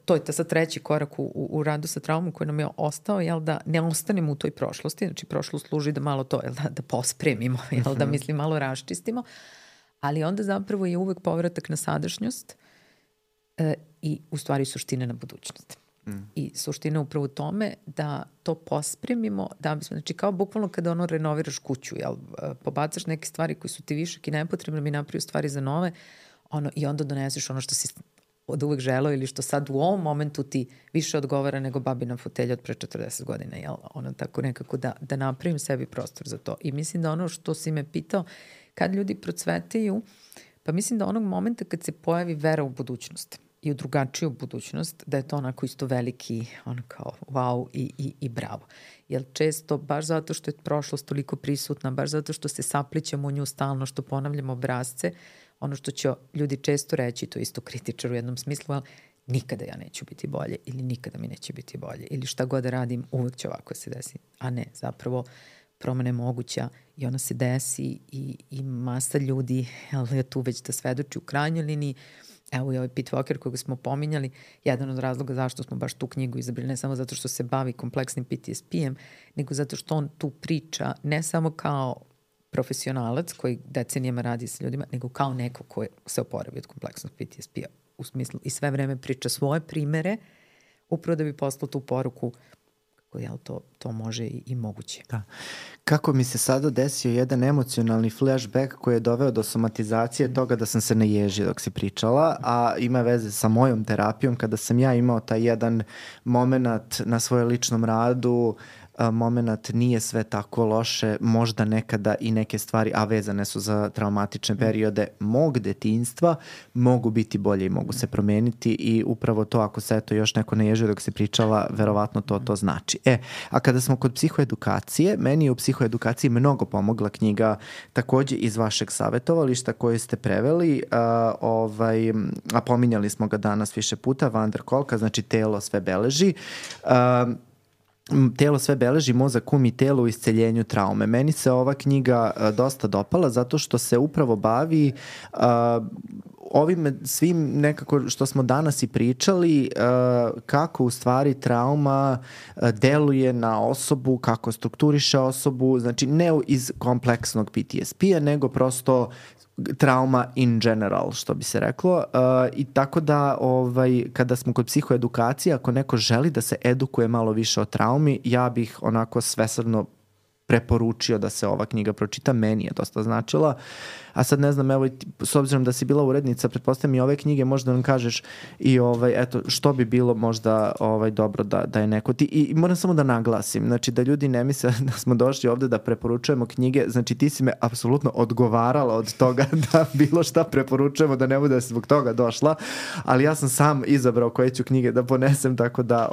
to je sad treći korak u radu sa traumom koji nam je ostao, da ne ostanemo u toj prošlosti, znači prošlost služi da malo to, da pospremimo, da mislim malo raščistimo, ali onda zapravo je uvek povratak na sadašnjost i u stvari suština na budućnost. I suština upravo u tome da to pospremimo, da bismo, znači kao bukvalno kada renoviraš kuću, pobacaš neke stvari koji su ti višak i nepotrebno mi napravio stvari za nove, i onda doneseš ono što si od uvek želeo ili što sad u ovom momentu ti više odgovara nego babina fotelja od pre 40 godina, tako nekako da napravim sebi prostor za to. I mislim da ono što si me pitao, kad ljudi procvetaju, pa mislim da onog momenta kad se pojavi vera u budućnost i u drugačiju budućnost, da je to onako isto veliki, kao wow i bravo. Jer često, baš zato što je prošlost toliko prisutna, baš zato što se saplićemo u nju stalno, što ponavljamo obrazce, ono što će ljudi često reći, to isto kritičar u jednom smislu, ali nikada ja neću biti bolje ili nikada mi neće biti bolje ili šta god da radim, uvek će ovako se desi. A ne, zapravo promena je moguća i ona se desi i masa ljudi je tu već da svedoči u krajnjoj liniji. Evo i ovaj Pete Walker koga smo pominjali, jedan od razloga zašto smo baš tu knjigu izabrali, ne samo zato što se bavi kompleksnim PTSP-em, nego zato što on tu priča ne samo kao profesionalac koji decenijama radi sa ljudima, nego kao neko ko se oporavi od kompleksnog PTSP-a. U smislu i sve vreme priča svoje primere upravo da bi poslao tu poruku kako to može i moguće. Da. Kako mi se sada desio jedan emocionalni flashback koji je doveo do somatizacije toga da sam se naježio dok si pričala, a ima veze sa mojom terapijom kada sam ja imao taj jedan moment na svojem ličnom radu, moment nije sve tako loše, možda nekada i neke stvari, a vezane su za traumatične periode mog detinjstva, mogu biti bolje i mogu se promeniti i upravo to ako se eto još neko naježio dok se pričala, verovatno to znači. A kada smo kod psihoedukacije, meni je u psihoedukaciji mnogo pomogla knjiga takođe iz vašeg savjetovališta koju ste preveli, a pominjali smo ga danas više puta, Van der Kolka, znači Telo sve beleži. Telo sve beleži, mozak, um i telo u isceljenju traume. Meni se ova knjiga dosta dopala zato što se upravo bavi ovim svim nekako što smo danas i pričali, kako u stvari trauma deluje na osobu, kako strukturiše osobu, znači ne iz kompleksnog PTSP-a, nego prosto trauma in general, što bi se reklo. I tako da kada smo kod psihoedukacije, ako neko želi da se edukuje malo više o traumi, ja bih onako svesrdno preporučio da se ova knjiga pročita, meni je dosta značila. A sad ne znam, evo, s obzirom da si bila urednica, pretpostavljam i ove knjige, možda nam kažeš i eto, što bi bilo možda dobro da je neko i moram samo da naglasim, znači da ljudi ne misle da smo došli ovde da preporučujemo knjige, znači ti si me apsolutno odgovarala od toga da bilo šta preporučujemo, da ne bude da si zbog toga došla, ali ja sam sam izabrao koje ću knjige da ponesem, tako da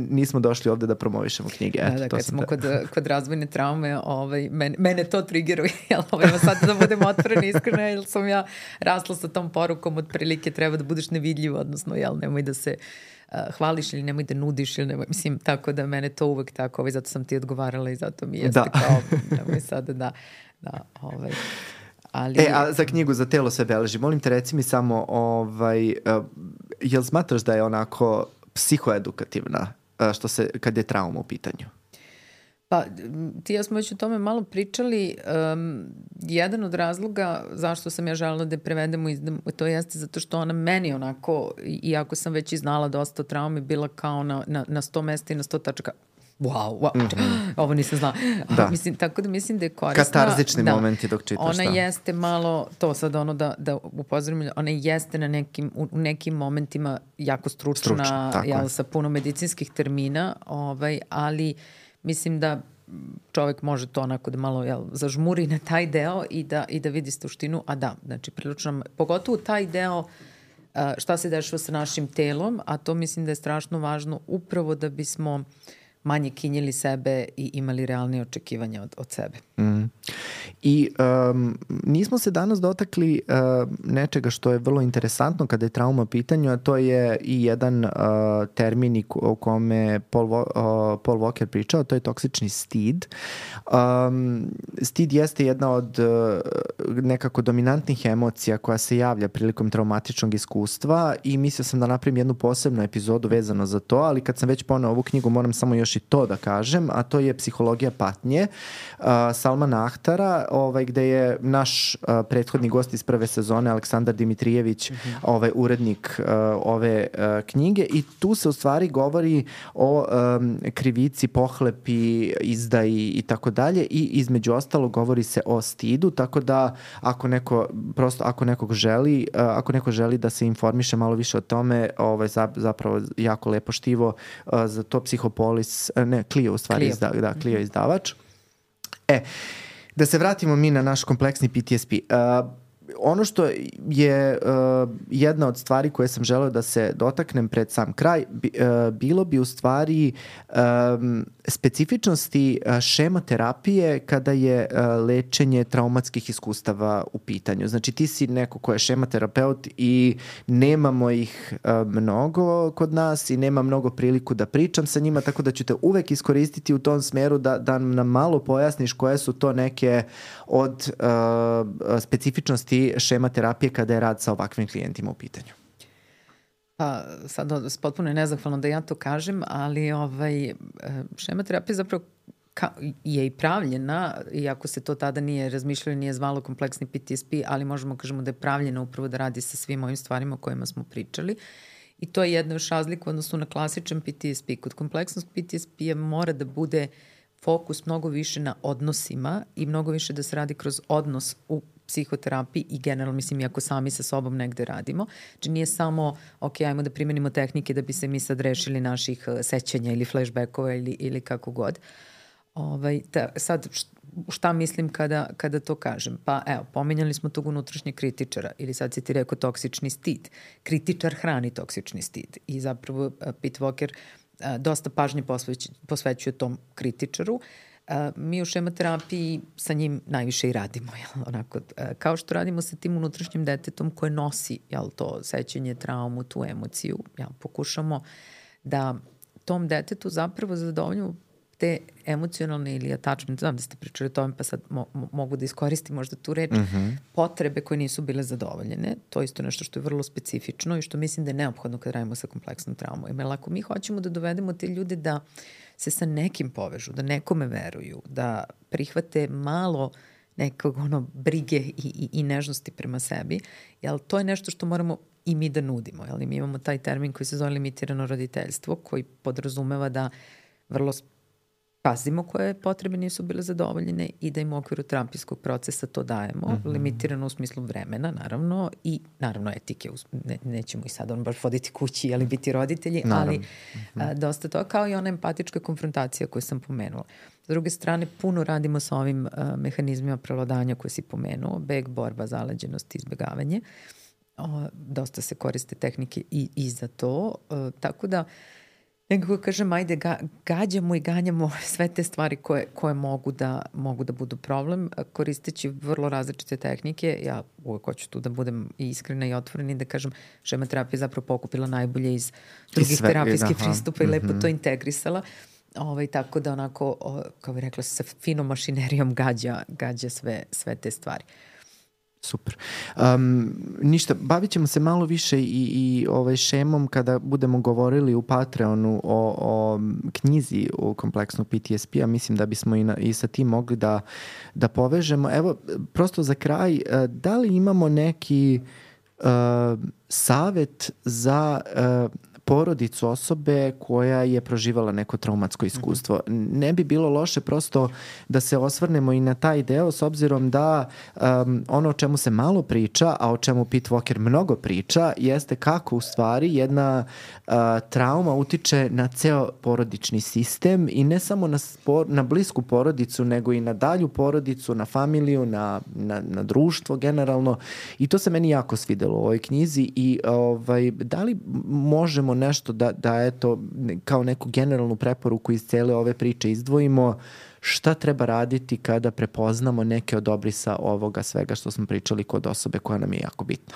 nismo došli ovde da promovišemo knjige. Eto, da, kad smo kod razvojne traume, mene to triggeruje, sad da budem otvorena, iskrena, jer sam ja rasla sa tom porukom otprilike treba da budeš nevidljiv, odnosno nemoj da se hvališ ili nemoj da nudiš ili nemoj, mislim, tako da mene to uvek tako, zato sam ti odgovarala i zato mi jeste kao, nemoj sada ali... A za knjigu za Telo sve beleži, molim te reci mi samo, jel smatraš da je onako psihoedukativna kad je trauma u pitanju? Pa, ti ja smo već o tome malo pričali. Jedan od razloga zašto sam ja želela da je prevedemo, to jeste zato što ona meni onako, iako sam već i znala dosta o traumi, bila kao na 100 mesta i na 100 tačaka. Wow. Ovo nisam znala. Da. Tako da mislim da je korisna. Katarzični momenti dok čitaš. Ona jeste malo, to sad da upozorim, ona jeste u nekim momentima jako stručna sa puno medicinskih termina, ali mislim da čovjek može to onako da malo zažmuri na taj deo i da vidi suštinu, a da, znači prilično, pogotovo taj deo šta se dešava sa našim telom, a to mislim da je strašno važno upravo da bismo manje kinjili sebe i imali realnije očekivanja od sebe. I nismo se danas dotakli nečega što je vrlo interesantno kada je trauma u pitanju, a to je i jedan termin o kome Paul Walker pričao, to je toksični stid. Stid jeste jedna od nekako dominantnih emocija koja se javlja prilikom traumatičnog iskustva i mislio sam da napravim jednu posebnu epizodu vezano za to, ali kad sam već poneo ovu knjigu moram samo još i to da kažem, a to je Psihologija patnje Salmana Ahtara, gde je naš prethodni gost iz prve sezone Aleksandar Dimitrijević, urednik ove knjige, i tu se u stvari govori o krivici, pohlepi, izdaji i tako dalje, i između ostalo govori se o stidu, tako da ako neko želi da se informiše malo više o tome, zapravo jako lepo štivo za to Psihopolis, Clio u stvari, Clio izdavač. Da se vratimo mi na naš kompleksni PTSP. ono što je jedna od stvari koje sam želeo da se dotaknem pred sam kraj, bilo bi u stvari specifičnosti šema terapije kada je lečenje traumatskih iskustava u pitanju. Znači ti si neko ko je šema terapeut i nemamo ih mnogo kod nas i nema mnogo priliku da pričam sa njima, tako da ću te uvek iskoristiti u tom smeru da nam malo pojasniš koje su to neke od specifičnosti šema terapije kada je rad sa ovakvim klijentima u pitanju. Pa sad potpuno je nezahvalno da ja to kažem, ali šema terapije zapravo je i pravljena, iako se to tada nije razmišljalo, nije zvalo kompleksni PTSP, ali možemo kažemo da je pravljena upravo da radi sa svim ovim stvarima o kojima smo pričali. I to je jedna još razlika u odnosu na klasičan PTSP. Kod kompleksnog PTSP mora da bude fokus mnogo više na odnosima i mnogo više da se radi kroz odnos u psihoterapiji i generalno, mislim, iako sami sa sobom negde radimo. Znači nije samo, ok, ajmo da primenimo tehnike da bi se mi sad rešili naših sećanja ili flashbackova ili kako god. Sad, šta mislim kada to kažem? Pa evo, pominjali smo tog unutrašnjeg kritičara ili sad si ti rekao toksični stid. Kritičar hrani toksični stid i zapravo Pete Walker dosta pažnje posvećuje tom kritičaru. Mi u šematerapiji sa njim najviše i radimo. Onako, kao što radimo sa tim unutrašnjim detetom koje nosi to sećanje, traumu, tu emociju, pokušamo da tom detetu zapravo zadovoljimo te emocionalne ili attachment, znam da ste pričali o tome, pa sad mogu da iskoristim možda tu reč, potrebe koje nisu bile zadovoljene. To je isto nešto što je vrlo specifično i što mislim da je neophodno kad radimo sa kompleksnom traumom. Jer ako mi hoćemo da dovedemo te ljude da se sa nekim povežu, da nekome veruju, da prihvate malo nekog brige i nežnosti prema sebi, jel to je nešto što moramo i mi da nudimo. Jel? Mi imamo taj termin koji se zove limitirano roditeljstvo, koji podrazumeva da vrlo pazimo koje potrebe nisu bile zadovoljene i da im u okviru terapijskog procesa to dajemo, limitirano u smislu vremena, naravno, i naravno etike. Nećemo i sad baš voditi kući, ali biti roditelji, ali dosta to, kao i ona empatička konfrontacija koju sam pomenula. S druge strane, puno radimo sa ovim mehanizmima prevladanja koje si pomenuo, beg, borba, zaleđenost, izbegavanje. Dosta se koriste tehnike i za to, tako da nekako kažem, ajde, gađamo i ganjamo sve te stvari koje mogu da budu problem, koristeći vrlo različite tehnike. Ja uvek hoću tu da budem iskrena i otvorena i da kažem, šematerapija je zapravo pokupila najbolje iz drugih terapijskih pristupa i lepo to integrisala. Tako da onako, kao bih rekla, sa finom mašinerijom gađa sve te stvari. Super. Ništa, bavit ćemo se malo više i šemom kada budemo govorili u Patreonu o knjizi u kompleksnog PTSP-a. Mislim da bismo i sa tim mogli da povežemo. Evo, prosto za kraj, da li imamo neki savet za porodicu osobe koja je proživala neko traumatsko iskustvo? Ne bi bilo loše prosto da se osvrnemo i na taj deo, s obzirom da ono o čemu se malo priča, a o čemu Pete Walker mnogo priča, jeste kako u stvari jedna trauma utiče na ceo porodični sistem i ne samo na blisku porodicu, nego i na dalju porodicu, na familiju, na društvo generalno. I to se meni jako svidelo u ovoj knjizi i da li možemo nešto da eto, kao neku generalnu preporuku iz cele ove priče izdvojimo, šta treba raditi kada prepoznamo neke od obrisa ovoga svega što smo pričali kod osobe koja nam je jako bitna?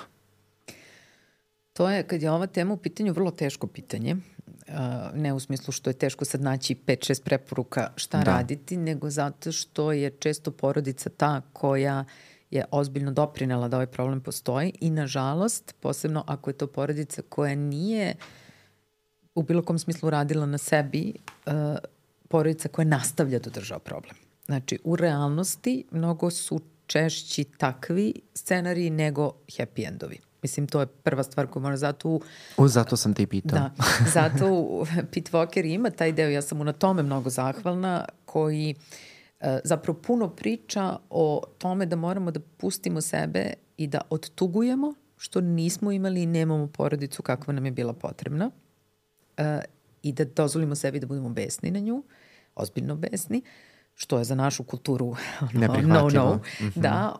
To je, kad je ova tema u pitanju, vrlo teško pitanje. Ne u smislu što je teško sad naći 5-6 preporuka šta raditi, nego zato što je često porodica ta koja je ozbiljno doprinela da ovaj problem postoji i nažalost, posebno ako je to porodica koja nije u bilo kom smislu radila na sebi, porodica koja nastavlja da održava problem. Znači, u realnosti mnogo su češći takvi scenariji nego happy endovi. Mislim, to je prva stvar koju možda zato sam te i pitao. Da, zato Pete Walker ima taj deo, ja sam mu na tome mnogo zahvalna, koji zapravo puno priča o tome da moramo da pustimo sebe i da odtugujemo što nismo imali i nemamo porodicu kakva nam je bila potrebna i da dozvolimo sebi da budemo besni na nju, ozbiljno besni, što je za našu kulturu neprihvatljivo. Da,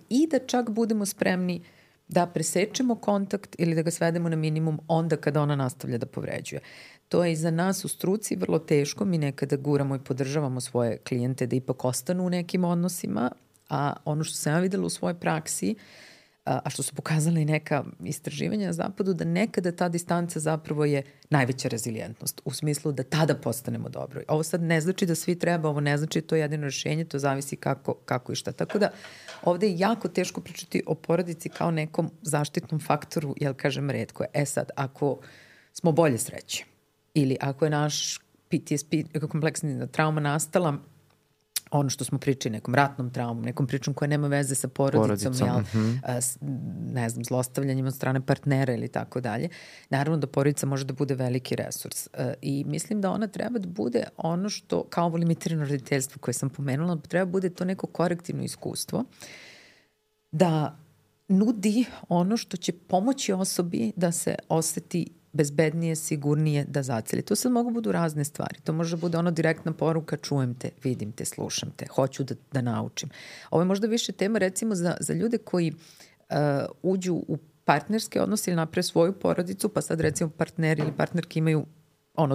i da čak budemo spremni da presečemo kontakt ili da ga svedemo na minimum onda kada ona nastavlja da povređuje. To je i za nas u struci vrlo teško, mi nekada guramo i podržavamo svoje klijente da ipak ostanu u nekim odnosima, a ono što sam ja videla u svojoj praksi, a što su pokazali neka istraživanja na zapadu, da nekada ta distanca zapravo je najveća rezilijentnost, u smislu da tada postanemo dobro. Ovo sad ne znači da svi treba, ovo ne znači to je jedino rešenje, to zavisi kako i šta. Tako da ovde je jako teško pričati o porodici kao nekom zaštitnom faktoru, jel kažem retko je. Sad, ako smo bolje sreće ili ako je naš PTSP, kompleksna trauma nastala, ono što smo pričali, nekom ratnom traumom, nekom pričom koja nema veze sa porodicom, ne znam, zlostavljanjem od strane partnera ili tako dalje. Naravno da porodica može da bude veliki resurs i mislim da ona treba da bude ono što, kao ovo limitirano roditeljstvo koje sam pomenula, treba da bude to neko korektivno iskustvo da nudi ono što će pomoći osobi da se oseti bezbednije, sigurnije da zaceli. To sad mogu budu razne stvari. To može bude ono direktna poruka, čujem te, vidim te, slušam te, hoću da naučim. Ovo je možda više tema recimo za ljude koji uđu u partnerske odnose ili naprave svoju porodicu, pa sad recimo partneri ili partnerki imaju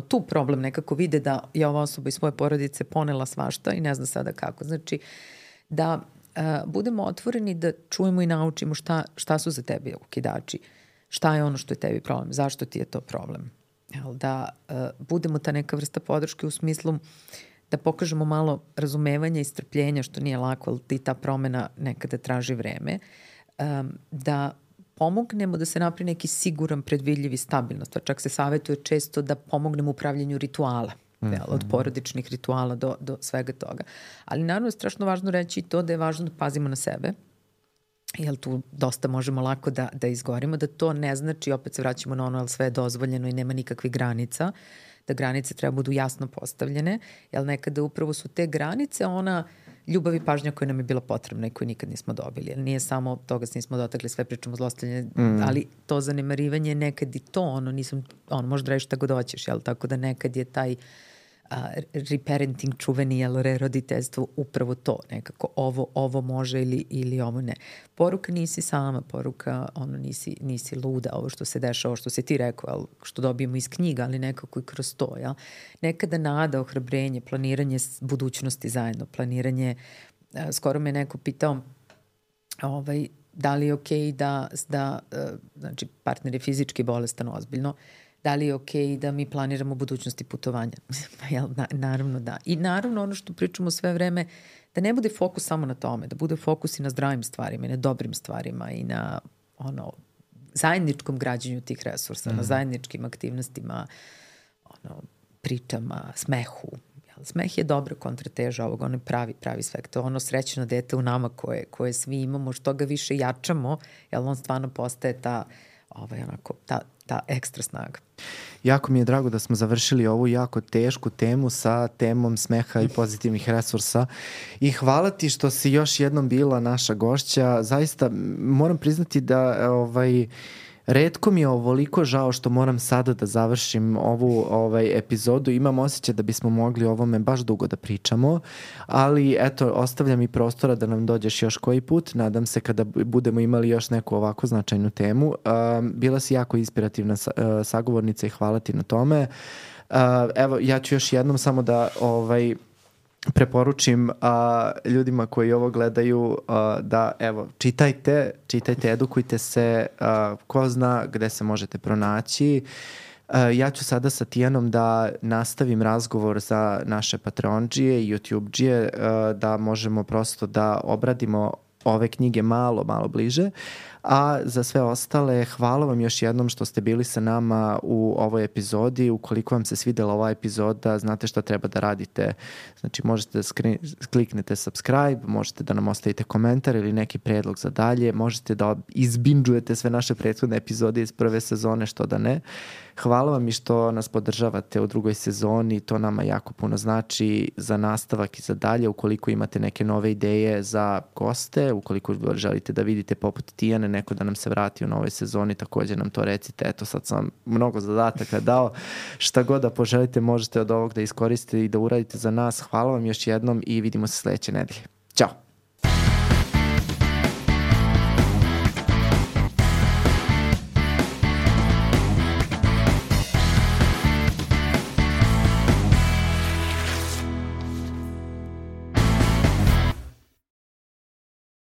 tu problem, nekako vide da je ova osoba iz svoje porodice ponela svašta i ne zna sada kako. Znači da budemo otvoreni da čujemo i naučimo šta su za tebe okidači. Šta je ono što je tebi problem? Zašto ti je to problem? Da budemo ta neka vrsta podrške u smislu da pokažemo malo razumevanja i strpljenja, što nije lako, ali ti ta promena nekada traži vreme. Da pomognemo da se napravi neki siguran, predvidljiv i stabilnost. Čak se savjetuje često da pomognemo u pravljenju rituala. Od porodičnih rituala do svega toga. Ali naravno je strašno važno reći i to da je važno da pazimo na sebe, jer tu dosta možemo lako da izgorimo, da to ne znači, opet se vraćamo na ono, ali sve je dozvoljeno i nema nikakvih granica, da granice treba budu jasno postavljene, jer nekada upravo su te granice ona ljubav i pažnja koja nam je bila potrebna i koju nikad nismo dobili. Jer nije samo toga se nismo dotakli, sve pričamo zlostavljanje, ali to zanemarivanje nekad i to, možda radiš šta god hoćeš, jel? Tako da nekad je taj reparenting čuveni, jel, reroditeljstvo upravo to, nekako ovo može ili ovo ne. Poruka nisi sama, poruka nisi luda, ovo što se dešava, ovo što si ti rekao, jel, što dobijemo iz knjiga, ali nekako i kroz to, jel. Nekada nada, ohrabrenje, planiranje budućnosti zajedno, planiranje, skoro me neko pitao da li je okej da znači partner je fizički bolestan ozbiljno, da li je okej da mi planiramo budućnosti putovanja? Naravno da. I naravno ono što pričamo sve vreme, da ne bude fokus samo na tome, da bude fokus i na zdravim stvarima i na dobrim stvarima i na zajedničkom građenju tih resursa, na zajedničkim aktivnostima, pričama, smehu. Smeh je dobra kontrateža ovog, ono je pravi svek. To je ono srećno dete u nama koje svi imamo, što ga više jačamo, jer on stvarno postaje ta ekstra snaga. Jako mi je drago da smo završili ovu jako tešku temu sa temom smeha i pozitivnih resursa i hvala ti što si još jednom bila naša gošća. Zaista moram priznati da retko mi je ovoliko žao što moram sada da završim ovu epizodu. Imam osjećaj da bismo mogli o ovome baš dugo da pričamo, ali eto, ostavljam i prostora da nam dođeš još koji put. Nadam se kada budemo imali još neku ovako značajnu temu. Bila si jako inspirativna sagovornica i hvala ti na tome. Evo, ja ću još jednom samo da preporučim ljudima koji ovo gledaju da čitajte, edukujte se, ko zna gde se možete pronaći. Ja ću sada sa Tijanom da nastavim razgovor za naše Patreondžije i YouTubeđije, da možemo prosto da obradimo ove knjige malo bliže, a za sve ostale hvala vam još jednom što ste bili sa nama u ovoj epizodi. Ukoliko vam se svidela ova epizoda, znate šta treba da radite. Znači možete da kliknete subscribe, možete da nam ostavite komentar ili neki predlog za dalje, možete da izbinđujete sve naše prethodne epizode iz prve sezone, što da ne. Hvala vam i što nas podržavate u drugoj sezoni, to nama jako puno znači za nastavak i za dalje. Ukoliko imate neke nove ideje za goste, ukoliko želite da vidite poput Tijane neko da nam se vrati u novoj sezoni, također nam to recite. Eto, sad sam vam mnogo zadataka dao. Šta god da poželite, možete od ovog da iskoristite i da uradite za nas. Hvala vam još jednom i vidimo se sledeće nedelje. Ćao!